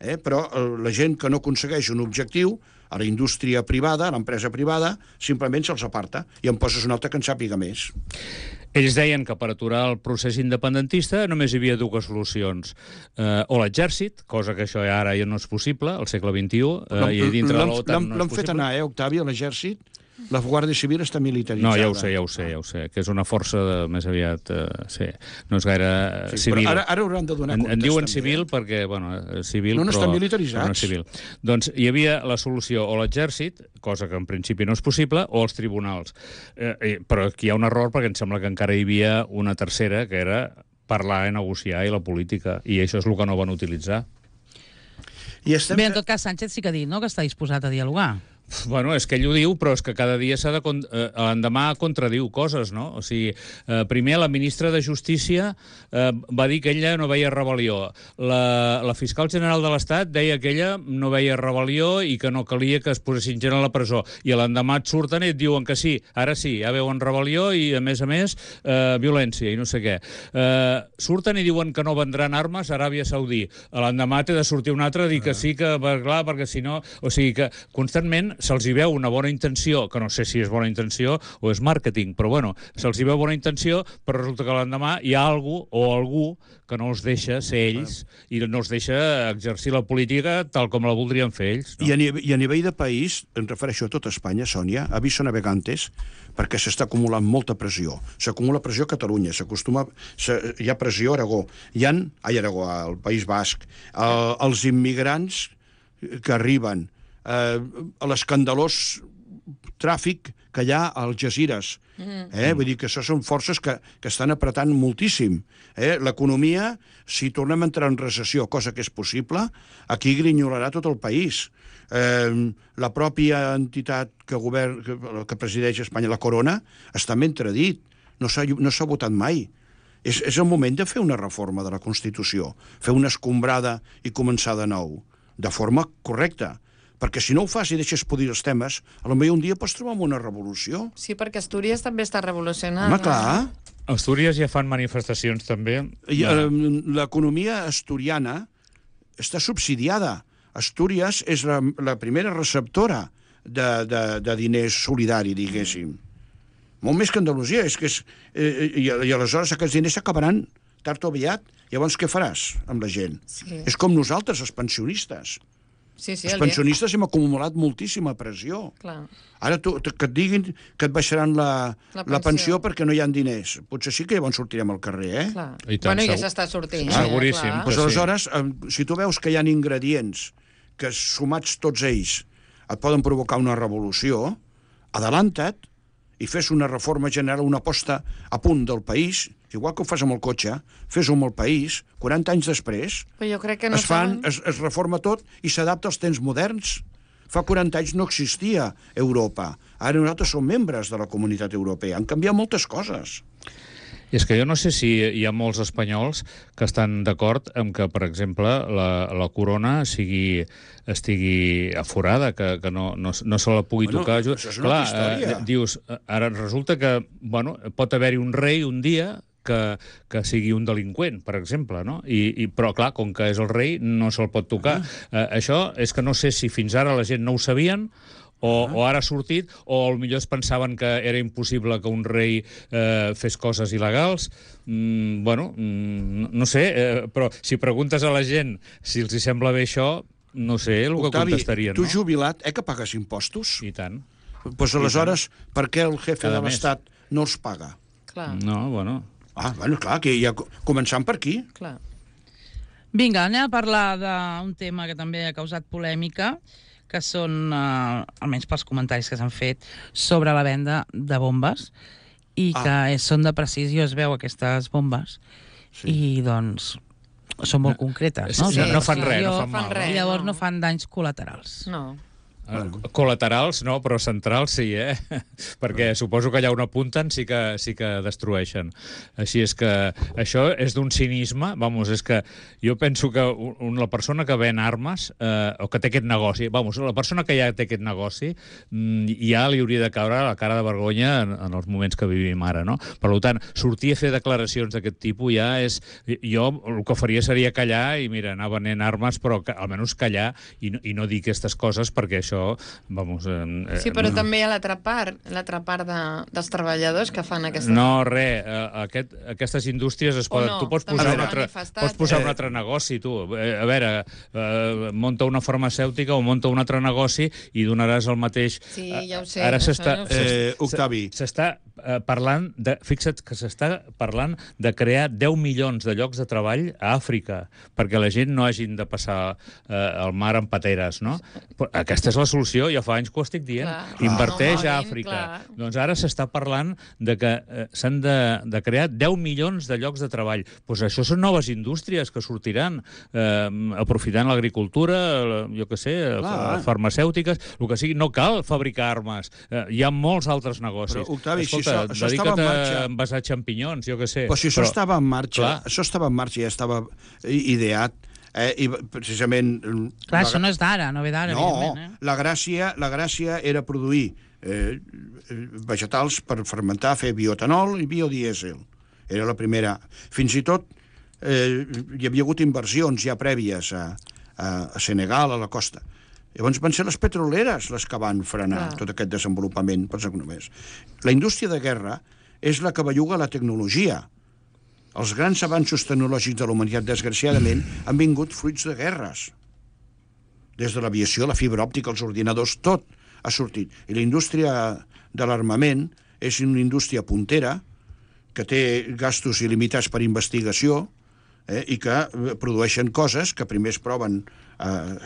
eh? Però la gent que no aconsegueix un objectiu, a la indústria privada, a l'empresa privada, simplement se'ls aparta i en poses un altre que en sàpiga més. Ells deien que per aturar el procés independentista només hi havia dues solucions. Eh, o l'exèrcit, cosa que això ara ja no és possible, al segle vint-i-u, eh, i dintre de l'OTAN no és L'han fet possible. anar, eh, Octavi, a l'exèrcit. La Guàrdia Civil està militaritzada. No, ja ho sé, ja ho sé, ja ho sé, que és una força de, més aviat, eh, sí, no és gaire Sí, civil. però ara, ara hauran de donar En, comptes. en diuen també, civil eh? perquè, bueno, eh, civil, No, no però, estan militaritzats. però no és civil. Doncs hi havia la solució o l'exèrcit, cosa que en principi no és possible, o els tribunals. Eh, eh, però aquí hi ha un error perquè em sembla que encara hi havia una tercera, que era parlar i negociar i la política, i això és el que no van utilitzar. I estem... Bé, en tot cas, Sánchez sí que ha dit, no?, que està disposat a dialogar. Bueno, és que ell ho diu, però és que cada dia s'ha de... Con eh, l'endemà contradiu coses, no? O sigui, eh, primer la ministra de Justícia eh, va dir que ella no veia rebel·lió. La, la fiscal general de l'Estat deia que ella no veia rebel·lió i que no calia que es posessin gent a la presó. I l'endemà et surten i et diuen que sí, ara sí, ja veuen rebel·lió i, a més a més, eh, violència i no sé què. Eh, surten i diuen que no vendran armes a Aràbia Saudí. L'endemà té de sortir un altre a dir que sí, que, clar, perquè si no... O sigui que constantment se'ls hi veu una bona intenció, que no sé si és bona intenció o és màrqueting, però bueno, se'ls hi veu bona intenció, però resulta que l'endemà hi ha algú o algú que no els deixa ser ells i no els deixa exercir la política tal com la voldrien fer ells. No? I, a nivell, I a nivell de país, em refereixo a tota Espanya, Sònia, aviso navegantes, perquè s'està acumulant molta pressió. S'acumula pressió a Catalunya, s'acostuma... Hi ha pressió a Aragó, hi ha... Ai, Aragó, al País Basc, el, els immigrants que arriben, eh, a l'escandalós tràfic que hi ha a Algesires. Eh? Vull dir que això són forces que, que estan apretant moltíssim. Eh? L'economia, si tornem a entrar en recessió, cosa que és possible, aquí grinyolarà tot el país. Eh, la pròpia entitat que, govern, que, que presideix Espanya, la Corona, està ben tradit. No s'ha no s'ha votat mai. És, és el moment de fer una reforma de la Constitució, fer una escombrada i començar de nou, de forma correcta. Perquè si no ho fas i deixes podir els temes, potser un dia pots trobar una revolució. Sí, perquè Astúries també està revolucionant. Home, clar. Astúries ja fan manifestacions, també. I, eh, l'economia asturiana està subsidiada. Astúries és la, la primera receptora de, de, de diners solidari, diguéssim. Molt més que Andalusia. És que és, eh, i, I aleshores aquests diners s'acabaran tard o aviat. Llavors què faràs amb la gent? Sí. És com nosaltres, els pensionistes. Sí, sí, Els el pensionistes hem acumulat moltíssima pressió. Clar. Ara tu, que et diguin que et baixaran la, La la, pensió. la pensió perquè no hi ha diners. Potser sí que llavors sortirem al carrer, eh? Clar. I tant, Bueno, ja segur. s'està sortint. Ah, seguríssim. clar. Pues Que sí. aleshores, eh, si tu veus que hi ha ingredients que sumats tots ells et poden provocar una revolució, adelanta't i fes una reforma general, una aposta a punt del país, igual que ho fas amb el cotxe, fes-ho amb el país, quaranta anys després, Però jo crec que no es, fan, saben... es, es reforma tot i s'adapta als temps moderns. Fa quaranta anys no existia Europa. Ara nosaltres som membres de la comunitat europea. Han canviat moltes coses. I és que jo no sé si hi ha molts espanyols que estan d'acord amb que, per exemple, la, la corona sigui, estigui aforada, que, que no, no, no se la pugui Bueno, tocar. això és una altra història. Eh, dius, ara resulta que bueno, pot haver-hi un rei un dia que, que sigui un delinqüent, per exemple, no? I, i, però, clar, com que és el rei, no se'l pot tocar. Ah. Eh, això és que no sé si fins ara la gent no ho sabien O, o ara ha sortit, o potser es pensaven que era impossible que un rei eh, fes coses il·legals. Mm, bueno, mm, no sé, eh, però si preguntes a la gent si els hi sembla bé això, no sé el que Octavi, contestarien, tu no? jubilat, eh, que pagues impostos? I tant. Doncs pues, aleshores, per què el jefe Cada de mes. l'Estat no els paga? Clar, No, bueno... Ah, bueno, clar, que ja començant per aquí. clar. Vinga, anem a parlar d'un tema que també ha causat polèmica, que són, eh, almenys pels comentaris que s'han fet, sobre la venda de bombes, i Ah. que és, són de precisió, es veu aquestes bombes, Sí. i doncs són molt concretes, no? Sí, no fan de res, no precisió, fan mal, res, I llavors no. no fan danys col·laterals. No. Bueno. Col·laterals no, però centrals sí, eh? Perquè suposo que allà on apunten sí que, sí que destrueixen. Així és que això és d'un cinisme, vamos, és que jo penso que un, la persona que ven armes, eh, o que té aquest negoci, vamos, la persona que ja té aquest negoci, mm, ja li hauria de caure la cara de vergonya en, en els moments que vivim ara, no? Per tant, sortir a fer declaracions d'aquest tipus ja és... Jo el que faria seria callar i, mira, anar venent armes, però que, almenys callar i no, i no dir aquestes coses, perquè això vamos... Eh, Sí, però no. també hi ha l'altra part, l'altra part de, dels treballadors que fan aquesta... No, res, eh, aquest, aquestes indústries es poden... no, tu pots també posar, s'han un altre, manifestat. pots posar un Eh. altre negoci, tu. Eh, A veure, eh, monta una farmacèutica o monta un altre negoci i donaràs el mateix... Sí, ja ho sé, Ara això s'està... ja ho sé. Eh, Octavi. S'està eh, parlant de... Fixa't que s'està parlant de crear deu milions de llocs de treball a Àfrica, perquè la gent no hagin de passar eh, el mar amb pateres, no? Però aquesta és la solució, ja fa anys que ho estic dient. Clar, clar. Inverteix a Normalment, Àfrica. clar. Doncs ara s'està parlant de que eh, s'han de, de crear deu milions de llocs de treball. Pues això són noves indústries que sortiran, eh, aprofitant l'agricultura, la- jo què sé, Clar. farmacèutiques, el que sigui. No cal fabricar armes. Eh, hi ha molts altres negocis. Però, Octavi, si Escolta, això- això estava dedica't en a marxa. envasar xampinyons, jo què sé. Però si això estava en marxa, clar. això estava en marxa, ja estava i- ideat, eh, i precisament... Clar, la- això no és d'ara, no ve d'ara, No, evidentment. Eh? la gràcia, la gràcia era produir eh, vegetals per fermentar, fer bioetanol i biodièsel. Era la primera. Fins i tot eh, hi havia hagut inversions ja prèvies a, a, a Senegal, a la costa. Llavors van ser les petroleres les que van frenar Clar. tot aquest desenvolupament. Pensa que només. La indústria de guerra és la que belluga la tecnologia. Els grans avanços tecnològics de la humanitat, desgraciadament, han vingut fruits de guerres. Des de l'aviació, la fibra òptica, els ordinadors, tot ha sortit. I la indústria de l'armament és una indústria puntera que té gastos il·limitats per investigació eh, i que eh, produeixen coses que primer es proven eh,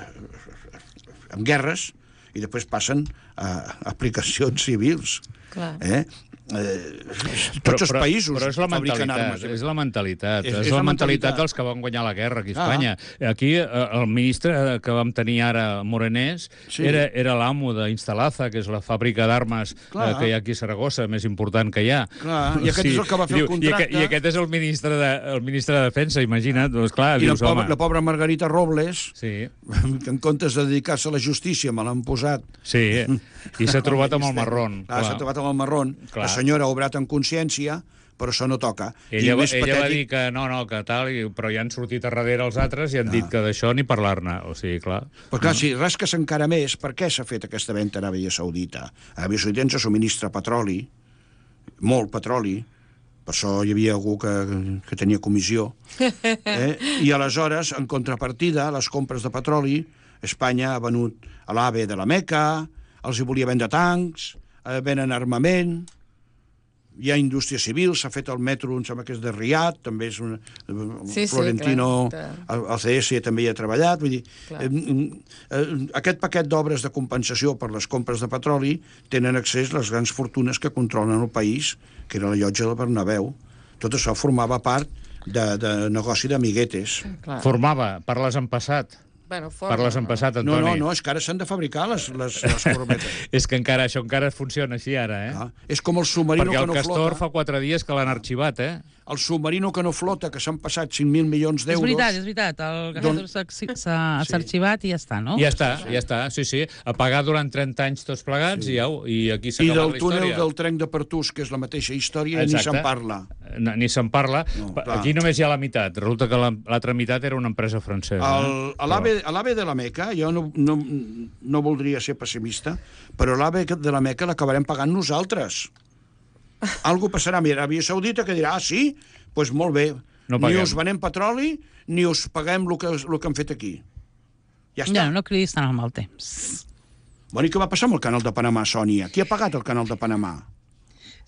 en guerres i després passen a aplicacions civils. Clar. Eh? Eh, tots els països però és la fabriquen mentalitat, armes. és la mentalitat, És- és, és la la mentalitat mentalitat. dels que van guanyar la guerra aquí a Ah. Espanya. Aquí eh, el ministre que vam tenir ara, Morenés, Sí. era, era l'amo d'Instalaza, que és la fàbrica d'armes eh, Clar. que hi ha aquí a Saragossa, més important que hi ha. Clar, i aquest és el que va fer el diu, contracte. I, aquest, I aquest és el ministre de, el ministre de Defensa, imagina't, doncs clar, I la dius, pobra, home... la pobra Margarita Robles, Sí, que en comptes de dedicar-se a la justícia me l'han posat... sí, i s'ha trobat amb el marrón. Clar, s'ha trobat amb el marrón. Clar. La senyora ha obrat en consciència, però això no toca. Ella, I més ella va patètic- dir que no, no, que tal, i, però ja han sortit a darrere els altres i han dit que d'això ni parlar-ne. O sigui, clar... Però clar, si rasques encara més, per què s'ha fet aquesta venda a Aràbia Saudita? Aràbia Saudita ens subministra petroli, molt petroli, per això hi havia algú que, que tenia comissió. Eh? I aleshores, en contrapartida, a les compres de petroli, Espanya ha venut a l'AVE de la Meca, els hi volia vendre tancs, eh, venen armament, hi ha indústria civil, s'ha fet el metro, em sembla que és de Riad, també és un... Sí, sí, Florentino, clar. el, el C S també hi ha treballat, vull dir, Clar. eh, eh, aquest paquet d'obres de compensació per les compres de petroli tenen accés les grans fortunes que controlen el país, que era la llotja del Bernabéu. Tot això formava part de, de negoci d'amiguetes. Clar. Formava, parles en passat. Bueno, forma, Parles en no? passat, No, Antoni. no, no, és que ara s'han de fabricar les, les, les corbetes. És que encara això encara funciona així ara, eh? Ah, és com el submarino Perquè que el no Castor flota. fa quatre dies que l'han arxivat, eh? el submarino que no flota, que s'han passat cinc mil milions d'euros... És veritat, és veritat. El Gajetur s'ha arxivat i ja està, no? Ja està, ja està, sí, sí. A pagar durant trenta anys tots plegats i, au, i aquí s'ha I acabat del la història. túnel del tren de Pertús, que és la mateixa història, Exacte. ni se'n parla. No, ni se'n parla. No, Pa- clar. Aquí només hi ha la meitat. Resulta que la- l'altra meitat era una empresa francesa. El, eh? a l'AVE a l'AVE de la Meca, jo no, no, no voldria ser pessimista, però l'AVE de la Meca l'acabarem pagant nosaltres. Algo passarà. Mira, Aràbia Saudita que dirà, ah, sí? Doncs pues molt bé. No ni paguem. us venem petroli, ni us paguem el que, el que han fet aquí. Ja està. Ja, no cridis tant al mal temps. Bueno, i què va passar amb el canal de Panamà, Sònia? Qui ha pagat el canal de Panamà?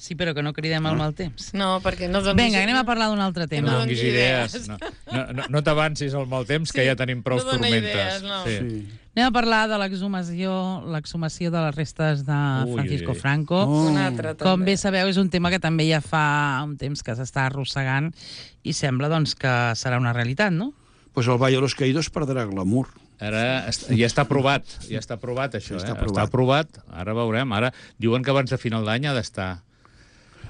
Sí, però que no cridem al mal temps. No, perquè no donis... Vinga, anem a parlar d'un altre Que tema. No no donis donis idees. idees. No, no, no, no t'avancis al mal temps, que Sí, ja tenim prou no dona tormentes. idees, no. Sí. Sí. Anem a parlar de l'exhumació l'exhumació de les restes de Ui, Francisco ui, ui. Franco. Oh. Un altre, també. Com bé sabeu, és un tema que també ja fa un temps que s'està arrossegant i sembla doncs, que serà una realitat, no? Pues el Valle de los Caídos perdrà glamour. Ara est- ja està aprovat, ja està aprovat això, Ja eh? està aprovat. Està aprovat, ara veurem. Ara diuen que abans de final d'any ha d'estar.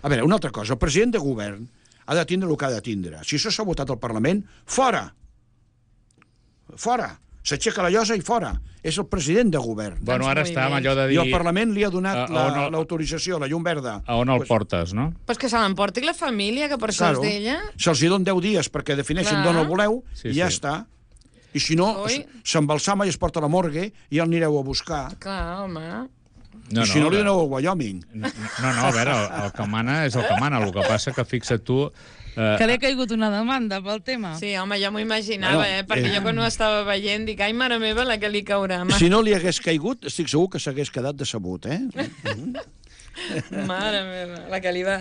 A veure, una altra cosa. El president de govern ha de tindre el que ha de tindre. Si això s'ha votat al Parlament, fora! Fora! S'aixeca la llosa i fora. És el president de govern. Bueno, ara molt està amb bé. allò de I dir... el Parlament li ha donat A- a la- on el- l'autorització, la llum verda. A on el Pues, portes, no? Pues que se l'emporti la família, que per això claro, és d'ella. se'ls hi donen deu dies perquè defineixin Clar. d'on el voleu Sí, i ja sí. està. I si no, Oi. s- s'embalsama i es porta a la morgue i el anireu a buscar. Clar, home. No, I si no, a li veure, doneu a Wyoming. no, no, no, a veure, el, el que mana és el que mana. El que passa que fixa't tu... Eh, Que li ha caigut una demanda pel tema. Sí, home, jo m'ho imaginava, Bueno, eh? Perquè eh. jo quan ho estava veient dic, ai, mare meva, la que li caurà. Ma... Si no li hagués caigut, estic segur que s'hagués quedat decebut, eh? Mare meva, la que li va...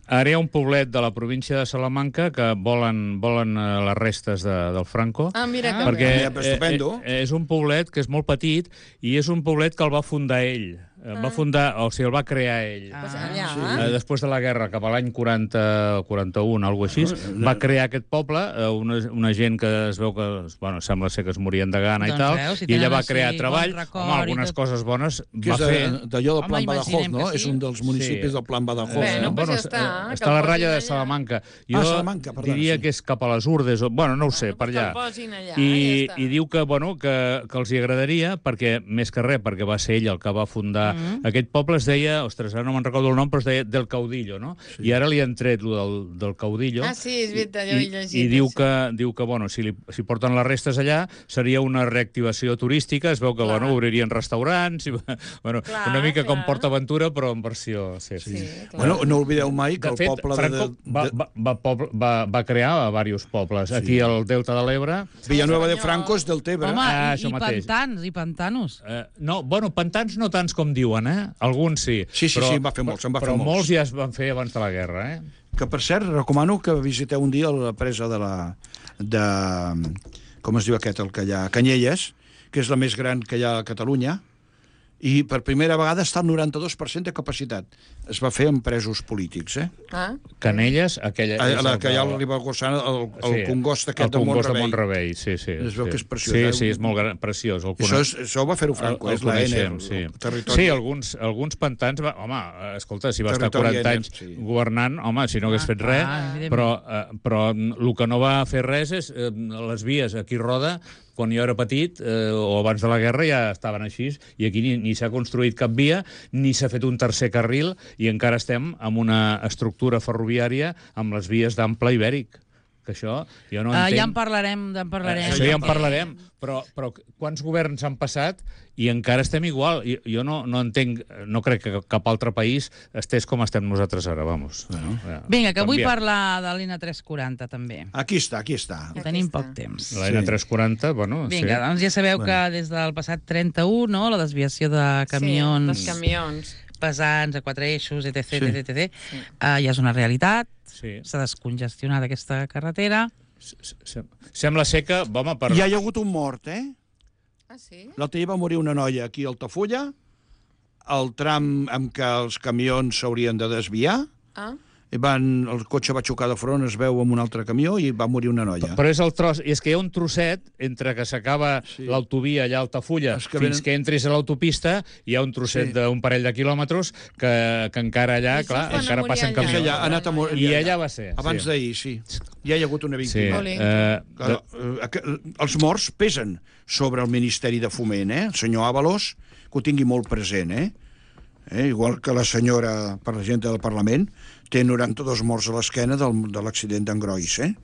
Ara hi ha un poblet de la província de Salamanca que volen, volen eh, les restes de, del Franco. Ah, mira que perquè bé. Ja, però estupendo. eh, eh, és un poblet que és molt petit i és un poblet que el va fundar ell. El va fundar, o sigui, el va crear ell. Ah. Pues allà. Eh, després de la guerra, cap a l'any quaranta quaranta-un, alguna cosa així, va crear aquest poble, eh, una, una gent que es veu que, bueno, sembla ser que es morien de gana Doncs i tal, veus, si i ella tenen va així crear bon treball, record home, i algunes tot. coses bones Que va és fer. de- d'allò del Home, Plan Badajoz, imaginem no? que sí. És un dels municipis Sí. del Plan Badajoz. Bé, no, no? pues ja es- està, eh, que està a la el ratlla de posin allà. Salamanca. Ah, Salamanca, perdona, diria sí. que és cap a les Urdes, o, bueno, no ho sé, per Que allà. el posin allà, I, ja està. I diu que, bueno, que, que els hi agradaria, perquè, més que res, perquè va ser ell el que va fundar Mm. aquest poble, es deia, ostres, ara no me'n recordo el nom, però es deia Del Caudillo, no? Sí. I ara li han tret lo del, del Caudillo. Ah, sí, és veritat, jo ho he I, llegit. i diu, això. que, diu que, bueno, si, li, si porten les restes allà, seria una reactivació turística, es veu que, Clar. bueno, obririen restaurants, i, bueno, Clar, una mica com clar. PortAventura, però en versió... Sí, Sí, clar. Bueno, no oblideu mai que de el fet, poble Franco de, va, de, va, va, poble, va, va crear diversos pobles. Sí. Aquí al Delta de l'Ebre... Villanueva de senyor. Franco és del Tebre. Home, Ah, i, això i mateix. pantans, i pantanos. Eh, no, bueno, pantans no tants com diuen, eh? Alguns sí. Sí, sí, sí, en va fer molts, en va fer però molts. molts ja es van fer abans de la guerra, eh? Que, per cert, recomano que visiteu un dia la presa de la... de... com es diu aquest, el que hi ha? Canyelles, que és la més gran que hi ha a Catalunya, i per primera vegada està al noranta-dos per cent de capacitat. Es va fer amb presos polítics, eh? Ah, Canelles, aquella... A, és la el que hi ha de- al Ribagorçana, el, el Sí, congost aquest el de congost de Mont-rebei. Mont-rebei, sí, sí. Es veu sí. que és preciós, Sí, eh? sí, és molt gran, preciós. El Això, és, això ho va fer-ho Franco, el, el és la N, coneixem, el, sí. el territori. Sí, alguns, alguns pantans... Va, home, eh, escolta, si va estar Territori quaranta N, anys sí. governant, home, si no hagués Ah, fet res, ah, evidentment. però, eh, però el que no va fer res és eh, les vies aquí a Roda, quan jo era petit, eh, o abans de la guerra, ja estaven així, i aquí ni, ni s'ha construït cap via, ni s'ha fet un tercer carril, i encara estem amb una estructura ferroviària amb les vies d'ample ibèric. Que això, jo no Uh, entenc... ja en parlarem, ja en parlarem. Això ja en parlarem, però, però quants governs han passat i encara estem igual. Jo, jo no, no entenc, no crec que cap altre país estés com estem nosaltres ara, vamos. Bueno, ja, Vinga, que vull canviat. parlar de l'I N A tres quaranta, també. Aquí està, aquí està. Que Aquí tenim està. poc temps. La N tres quaranta, bueno, Vinga, sí. doncs ja sabeu Bueno. que des del passat trenta-u, no?, la desviació de camions, Sí, dels camions. pesants, a quatre eixos, etc, Sí. etc, etc, uh, ja és una realitat, Sí. s'ha descongestionat aquesta carretera. S- s- Sembla ser que, home, per... Ja hi ha hagut un mort, eh? Ah, sí? L'altre dia va morir una noia aquí a Altafulla, el tram amb què els camions s'haurien de desviar, Ah, i van, el cotxe va xocar de front, es veu amb un altre camió i va morir una noia. Però és el tros, i és que hi ha un trosset entre que s'acaba Sí. l'autovia allà a Altafulla És que fins venen- que entris a l'autopista, hi ha un trosset Sí. d'un parell de quilòmetres que, que encara allà, I clar, se'n va encara morir passen allà. camions. És allà, ha anat a mor- I allà va ser. Abans sí. d'ahir, sí. Ja hi ha hagut una Sí. víctima. Oli. Eh, Clar, eh, aqu- els morts pesen sobre el Ministeri de Foment, eh? El senyor Ábalos, que ho tingui molt present, eh? eh? Igual que la senyora presidenta del Parlament, té noranta-dos morts a l'esquena del, de l'accident d'Engrois, eh?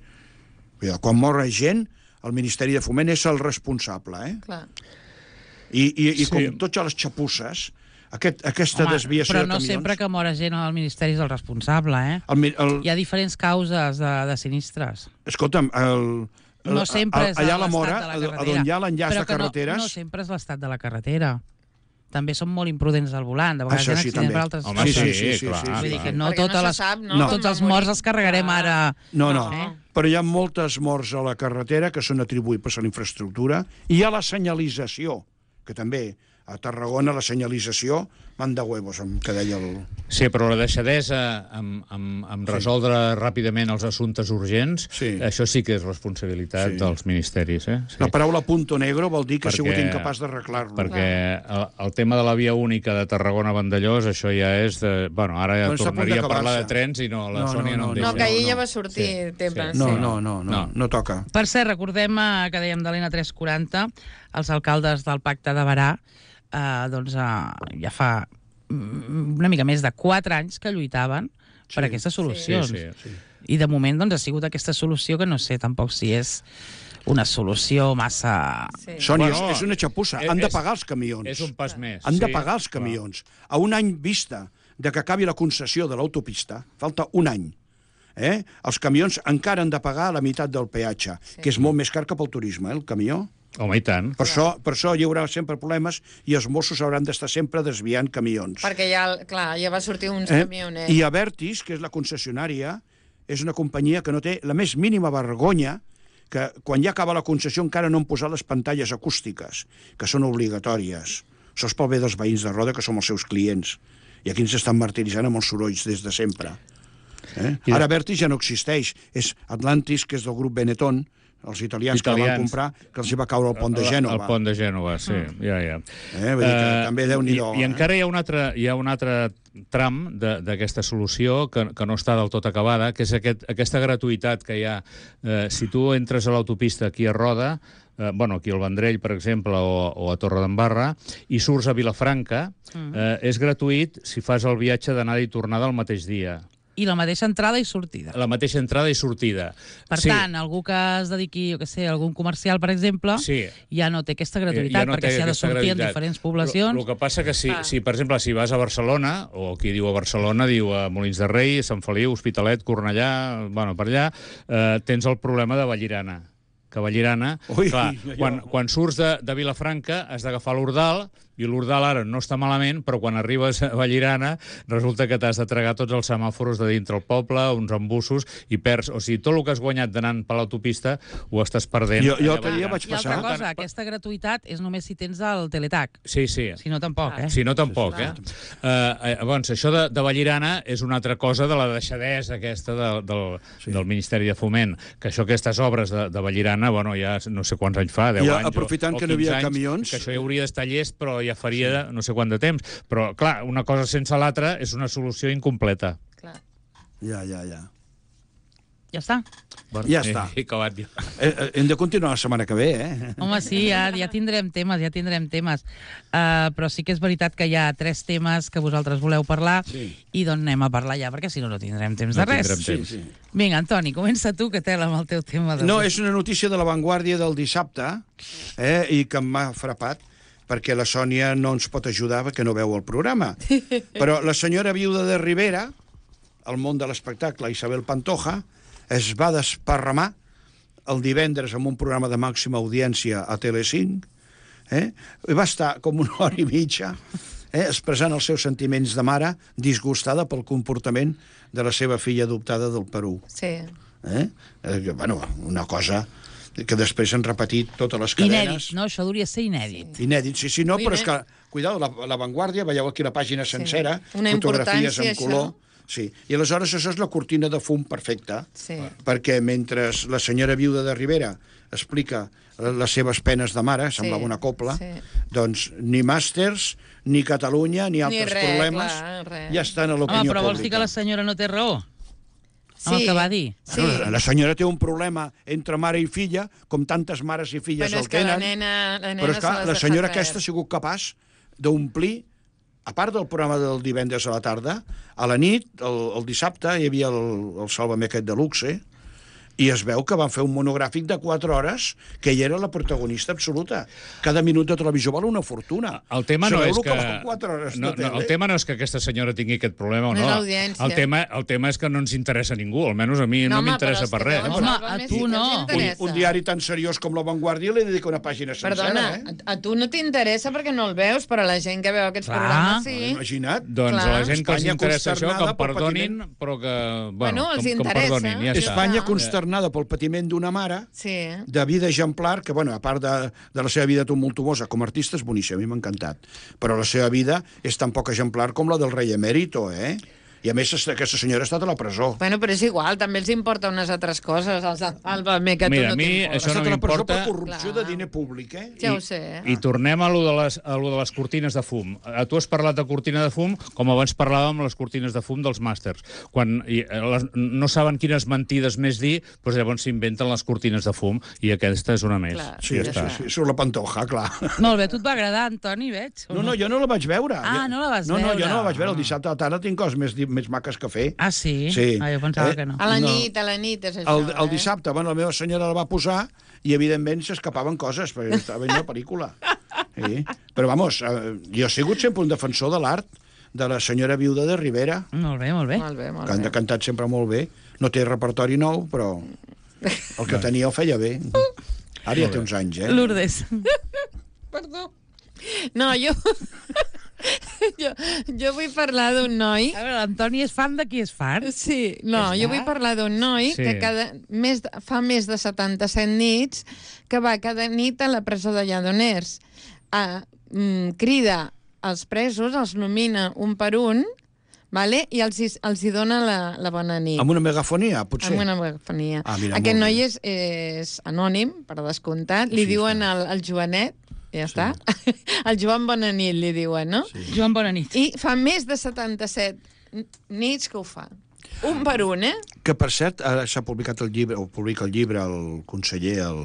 Cuidado, quan mor gent, el Ministeri de Foment és el responsable, eh? Clar. I, i, i Sí. com tots les xapusses, aquest, aquesta Home, desviació però de no camions... sempre que mora gent al Ministeri és el responsable, eh? El, mi- el, Hi ha diferents causes de, de sinistres. escolta'm, el, el, No sempre és allà a la l'estat Mora, de la a- a carretera. on hi ha l'enllaç Però de que no- carreteres... No, sempre és l'estat de la carretera. També són molt imprudents al volant. De vegades Això hi ha sí, accidents també. per altres Home, coses. sí, sí, sí, sí, clar. sí, Vull sí. dir que no, Perquè totes no se les, sap, no? no Com tots va els morir. morts els carregarem Clar. ara. No, no, No. però hi ha moltes morts a la carretera que són atribuïbles a la infraestructura i a la senyalització, que també a Tarragona la senyalització manda huevos, que deia el... Sí, però la deixadesa amb, amb, amb Sí. resoldre ràpidament els assumptes urgents, Sí. això sí que és responsabilitat Sí. dels ministeris. Eh? Sí. La paraula punto negro vol dir que ha sigut Perquè- incapaç d'arreglar-lo. Perquè el, el tema de la via única de Tarragona-Vandellós, això ja és de... Bueno, ara ja Bueno, està a punt tornaria a parlar de d'acabar-se. trens i no, la No, Sònia no, no, em no, deixa. No, que ahir no. ja va sortir Sí, temps. sí. No, sí. no, no, no, No. no toca. Per cert, recordem eh, que dèiem de l'E N tres quaranta, els alcaldes del Pacte de Barà, eh, doncs eh, ja fa mm, una mica més de quatre anys que lluitaven Sí. per aquestes solucions. Sí, sí. I de moment doncs, ha sigut aquesta solució que no sé tampoc si és una solució massa... Sí. Sònia, Bueno, és, és una xapussa. és- Han de és- pagar els camions. És un pas més. Han de sí, pagar els clar. camions. A un any vista de que acabi la concessió de l'autopista, falta un any, eh? Els camions encara han de pagar la meitat del peatge, sí. que és molt més car que pel turisme, eh, el camió. Home, i tant. Per això, per això hi haurà sempre problemes i els Mossos hauran d'estar sempre desviant camions. Perquè ja, clar, ja va sortir uns Eh? camioners. I Avertis, que és la concessionària, és una companyia que no té la més mínima vergonya que quan ja acaba la concessió encara no han posat les pantalles acústiques, que són obligatòries. Això és pel bé dels veïns de Roda, que som els seus clients. I aquí ens estan martiritzant amb els sorolls des de sempre. Eh? I Ara Avertis ja no existeix. És Atlantis, que és del grup Benetton, els italians, que la van Italians. comprar, que els hi va caure el pont de Gènova. El pont de Gènova, sí, ja, ja. Eh? Vull dir que també Déu-n'hi-do. I, I encara hi ha un altre, hi ha un altre tram de- d'aquesta solució que, que no està del tot acabada, que és aquest, aquesta gratuïtat que hi ha. Eh, si tu entres a l'autopista aquí a Roda, eh, bueno, aquí al Vendrell, per exemple, o, o a Torredembarra, i surts a Vilafranca, eh, és gratuït si fas el viatge d'anada i tornada el mateix dia. I la mateixa entrada i sortida. La mateixa entrada i sortida. Per sí. tant, algú que es dediqui, jo què sé, a algun comercial, per exemple, Sí. ja no té aquesta gratuïtat, no té perquè s'hi ha de aquesta sortir en gratuïtat. diferents poblacions. El que passa que si, Ah. si, per exemple, si vas a Barcelona, o qui diu a Barcelona, diu a Molins de Rei, Sant Feliu, Hospitalet, Cornellà, bueno, per allà, eh, tens el problema de Vallirana. Que Vallirana, Ui, clar, allò. quan, quan surts de, de Vilafranca has d'agafar l'Ordal, i l'Ordal ara no està malament, però quan arribes a Vallirana resulta que t'has de tragar tots els semàforos de dintre el poble, uns embussos, i perds. O sigui, tot el que has guanyat d'anant per l'autopista ho estàs perdent. Jo- jo allà l'altre dia Vallirana. vaig I altra passar- cosa, aquesta gratuïtat és només si tens el teletac. Sí, sí. Si no, tampoc, eh? Si no, tampoc, eh? Uh, eh llavors, això de, de Vallirana és una altra cosa de la deixadesa aquesta de, del, Sí. del Ministeri de Foment, que això, aquestes obres de, de Vallirana, bueno, ja no sé quants anys fa, deu I anys aprofitant o, o que no hi havia quinze anys, camions- que això ja hauria d'estar llest, però ja faria sí. no sé quant de temps. Però, clar, una cosa sense l'altra és una solució incompleta. Clar. Ja, ja, ja. Ja està. Bueno, Ja està. He, he acabat ja. Eh, eh, hem de continuar la setmana que ve, eh? Home, sí, ja, ja tindrem temes, ja tindrem temes. Uh, però sí que és veritat que hi ha tres temes que vosaltres voleu parlar Sí. i doncs anem a parlar ja, perquè si no, no tindrem temps de No res. tindrem Sí, temps. sí. Vinga, Antoni, comença tu, que tela amb el teu tema. De... No, és una notícia de La Vanguardia del dissabte, eh, i que m'ha frapat, perquè la Sònia no ens pot ajudar perquè no veu el programa. Però la senyora viuda de Rivera, al món de l'espectacle, Isabel Pantoja, es va desparramar el divendres en un programa de màxima audiència a Telecinc, eh? I va estar com una hora i mitja eh, expressant els seus sentiments de mare, disgustada pel comportament de la seva filla adoptada del Perú. Sí. Eh? Eh, que, bueno, una cosa que després han repetit totes les cadenes. Inèdit, no? Això hauria de ser inèdit. Sí. Inèdit, sí, sí, no, Molt però és que, inèdit. cuidado, la, la Vanguardia, veieu aquí la pàgina sencera, Una fotografies importància, en color, això. Sí, i aleshores això és la cortina de fum perfecta, Sí. perquè mentre la senyora viuda de Rivera explica les seves penes de mare, semblava una copla, sí. doncs ni màsters, ni Catalunya, ni altres res, problemes clar, res. ja estan a Home, l'opinió però vols dir que pública. la senyora no té raó? Sí. Amb el que va dir? Sí. Bueno, la senyora té un problema entre mare i filla, com tantes mares i filles Bueno, el és que la tenen, nena, la nena però és se clar, les la deixa senyora fer. aquesta ha sigut capaç d'omplir, a part del programa del divendres a la tarda, a la nit, el, el dissabte, hi havia el, el Sálvame aquest de luxe, i es veu que van fer un monogràfic de quatre hores que ella era la protagonista absoluta. Cada minut de televisió val una fortuna. El tema no Sabeu és el que... val quatre hores de no, no, tele? el tema no és que aquesta senyora tingui aquest problema o No no. és l'audiència. El tema, el tema és que no ens interessa a ningú, almenys a mi no, No, no home, m'interessa però per és que res. llavors Home, Sálvame a sí tu que no. els Un, interessa. un diari tan seriós com La Vanguardia li dedica una pàgina sencera, Perdona, eh? a, a tu no t'interessa perquè no el veus, però la gent que veu aquests Clar. programes sí. Imagina't. Doncs Clar. a la gent que els Espanya interessa això, que consternada em pel perdonin, patiment. però que... Bueno, Bueno, els que, que em interessa. perdonin, ja està. Espanya Ja. consternada pel patiment d'una mare, Sí. de vida exemplar, que, bueno, a part de, de la seva vida tumultuosa com a artista, és boníssima, a mi m'ha encantat. Però la seva vida és tan poc exemplar com la del rei emèrito, eh? I, a més, aquesta senyora ha estat a la presó. Bueno, però és igual, també els importa unes altres coses, els Sálvame, que a tu Mira, no a mi t'importa. Ha això no estat a la presó per m'importa. corrupció Clar. de diner públic, eh? Ja I, ho sé. eh? I tornem a lo, de les, a lo de les cortines de fum. A tu has parlat de cortina de fum com abans parlàvem les cortines de fum dels màsters. Quan i, eh, les, no saben quines mentides més dir, doncs llavors s'inventen les cortines de fum, i aquesta és una més. Clar. Sí, ja sí, està. sí, surt la pantoja, clar. Molt bé, a tu et va agradar, Antoni, veig? o No, no, jo no la vaig veure. Ah, Jo- no la vas no, No, veure. jo no la vaig veure. El Ah. dissabte a la tarda tinc coses més, di- més maques que fer. Ah, sí? Sí. Ah, jo pensava Eh, que no. A la No. nit, a la nit és això, El, el eh? dissabte, bueno, la meva senyora la va posar i, evidentment, s'escapaven coses, perquè estava veient la pel·lícula. Sí. Però, vamos, eh, jo he sigut sempre un defensor de l'art de la senyora viuda de Rivera, Molt bé, molt bé. Molt bé, molt que han bé. cantat sempre molt bé. No té repertori nou, però el que tenia ho feia bé. Ara ja té uns anys, eh? Lourdes. Perdó. No, jo... jo, jo vull parlar d'un noi... A veure, l'Antoni és fan de qui és fan? Sí, no, Ja jo està. vull parlar d'un noi Sí. que cada, més, de- fa més de setanta-set nits que va cada nit a la presó de Lledoners. A, mm, crida als presos, els nomina un per un, vale? I els, hi- els hi dona la, la bona nit. Amb una megafonia, potser? Amb una megafonia. Ah, mira, Aquest molt noi bé. és, és anònim, per descomptat. Li Sí, diuen el, el Joanet, ja està. El Joan Bonanit li diuen, no? Sí. Joan Bonanit. I fa més de setanta-set nits que ho fa. Un per un, eh? Que, per cert, ara s'ha publicat el llibre, o publica el llibre el conseller, el...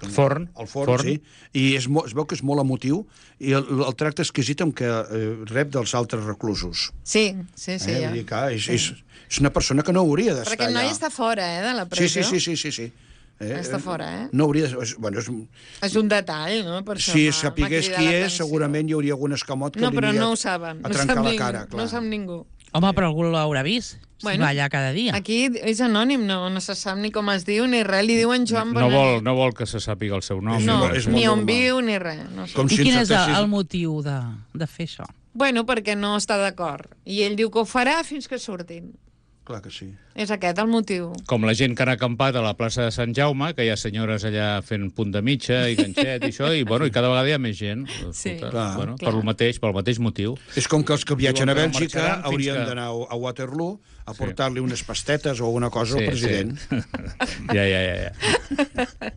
Forn. El Forn, Forn. sí. I és, mo- es veu que és molt emotiu i el, el tracte exquisit amb què eh, rep dels altres reclusos. Sí, sí, sí. eh? ja. Vull dir que és, és, és una persona que no hauria d'estar Perquè el noi allà. està fora, eh, de la Sí, presó. sí, sí, sí, sí, sí. Eh, Està fora, eh? No hauria de... És, bueno, és, És un detall, no? Per això si m'ha- m'ha sapigués cridat qui és, l'atenció. segurament hi hauria algun escamot que No, li però aniria no ho saben. a No trencar sap la ningú, cara, clar. no sap ningú. Home, però algú l'haurà vist. Si Bueno, va allà cada dia. Aquí és anònim, no, no se sap ni com es diu ni res. Li diuen Joan No Bonanit. vol, no vol que se sàpiga el seu nom. És No, molt- és molt ni on normal. viu ni res. No sé. Com I si quin ens és el, tractessis- el motiu de, de fer això? Bueno, perquè no està d'acord. I ell diu que ho farà fins que surtin. Clar que sí. És aquest el motiu. Com la gent que han acampat a la plaça de Sant Jaume, que hi ha senyores allà fent punt de mitja i ganxet i això, i, bueno, i cada vegada hi ha més gent. Sí. Escolta, Clar. bueno, Clar. per el mateix, pel mateix motiu. És com que els que viatgen a Diuen que no Bèlgica marxaran fins haurien que- d'anar a Waterloo a portar-li unes pastetes o alguna cosa al president. Sí. ja, ja, ja. ja.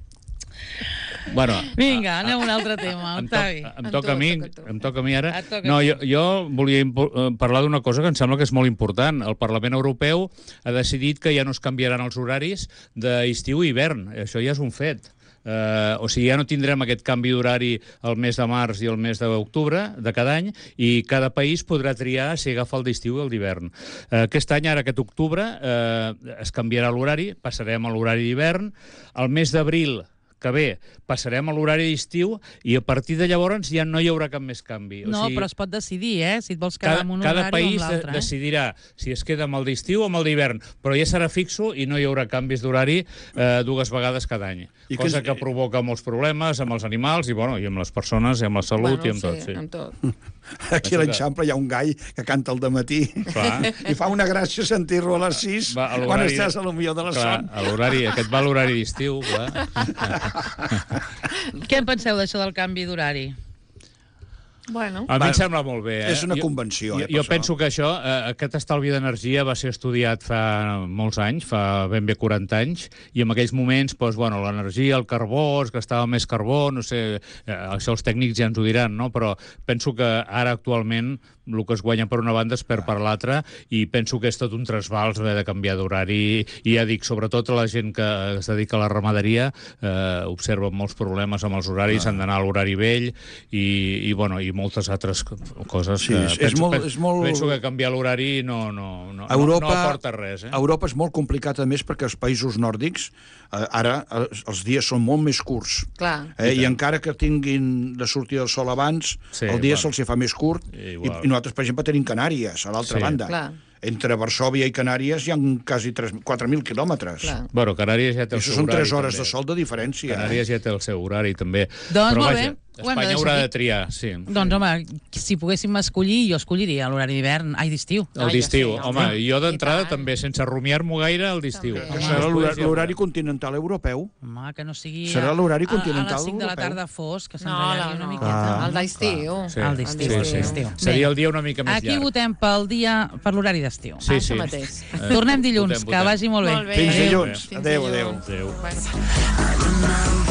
Bueno, Vinga, anem a un altre tema, em, toc, Octavi. em Amb toca tu, a mi, toca a tu. em toca a mi ara. Et toca No, a tu. jo, jo volia impo- eh, parlar d'una cosa que em sembla que és molt important. El Parlament Europeu ha decidit que ja no es canviaran els horaris d'estiu i hivern. Això ja és un fet. Uh, o sigui, ja no tindrem aquest canvi d'horari el mes de març i el mes d'octubre de cada any, i cada país podrà triar si agafa el d'estiu i el d'hivern. Uh, aquest any, ara aquest octubre, uh, es canviarà l'horari, passarem a l'horari d'hivern. El mes d'abril que ve, passarem a l'horari d'estiu, i a partir de llavors ja no hi haurà cap més canvi. No, però es pot decidir, eh? Si et vols quedar Cada, amb un cada horari país o amb de, l'altre. Eh? decidirà si es queda amb el d'estiu o amb el d'hivern, però ja serà fixo i no hi haurà canvis d'horari eh, dues vegades cada any. I Cosa que que, és- provoca molts problemes amb els animals i, bueno, i amb les persones, i amb la salut, i amb sí, tot. Sí. amb tot. Aquí a l'Eixample hi ha un gall que canta al dematí Clar. i fa una gràcia sentir-lo a les sis Va, a quan l'horari- estàs a lo millor de la Clar, son. a l'horari, aquest va a l'horari d'estiu, clar. Què en penseu d'això del canvi d'horari? Bueno. A mi em sembla molt bé. Eh? És una Jo- convenció, Jo, eh, per jo això. penso que això, eh, aquest estalvi d'energia va ser estudiat fa molts anys, fa ben bé quaranta anys, i en aquells moments, doncs, bueno, l'energia, el carbó, es gastava més carbó, no sé, eh, això els tècnics ja ens ho diran, no? Però penso que ara actualment el que es guanya per una banda es perd per l'altra, i penso que és tot un trasbals haver de canviar d'horari, i ja dic, sobretot la gent que es dedica a la ramaderia eh, observa molts problemes amb els horaris, han d'anar a l'horari vell, i, i, bueno, i moltes altres coses Sí, que és- és penso, molt- penso, és molt- penso que canviar l'horari no, no, no, Europa, no, no aporta res. Eh? Europa és molt complicat, a més, perquè els països nòrdics eh, ara eh, els dies són molt més curts. Clar. Eh, I encara que tinguin de sortir el sol abans, Sí, el dia bueno. se'ls hi fa més curt. I, Igual. I nosaltres, per exemple, tenim Canàries, a l'altra Sí. banda. Clar. Entre Varsòvia i Canàries hi ha quasi quatre mil quilòmetres. Clar. Bueno, Canàries ja té I el això seu són horari. tres hores també. de sol de diferència. Canàries ja té el seu horari, també. Doncs Però molt vaja, bé. Ho hem de Espanya deixar haurà aquí. de triar, sí. Doncs, home, si poguéssim escollir, jo escolliria l'horari d'hivern, ai, d'estiu. El Ai, d'estiu. ja sé, Home, home. jo d'entrada I tant. també, sense rumiar-m'ho gaire, el d'estiu. També. Que Home, serà Després l'horari ja l'horari veurem. continental europeu. Home, que no sigui... Serà a- l'horari a- continental A les cinc de la europeu. tarda fos, que No, s'enrotllari no, una no. miqueta. El d'estiu. Sí, El d'estiu, el sí, sí. d'estiu. Seria Bé. el dia una mica més Aquí llarg. votem pel dia, per l'horari d'estiu. Sí, Ah, sí. això mateix. Tornem dilluns, Votem, que votem. vagi molt bé. Molt bé. Fins Adéu. dilluns. Fins Adéu, dilluns. adéu. Bueno.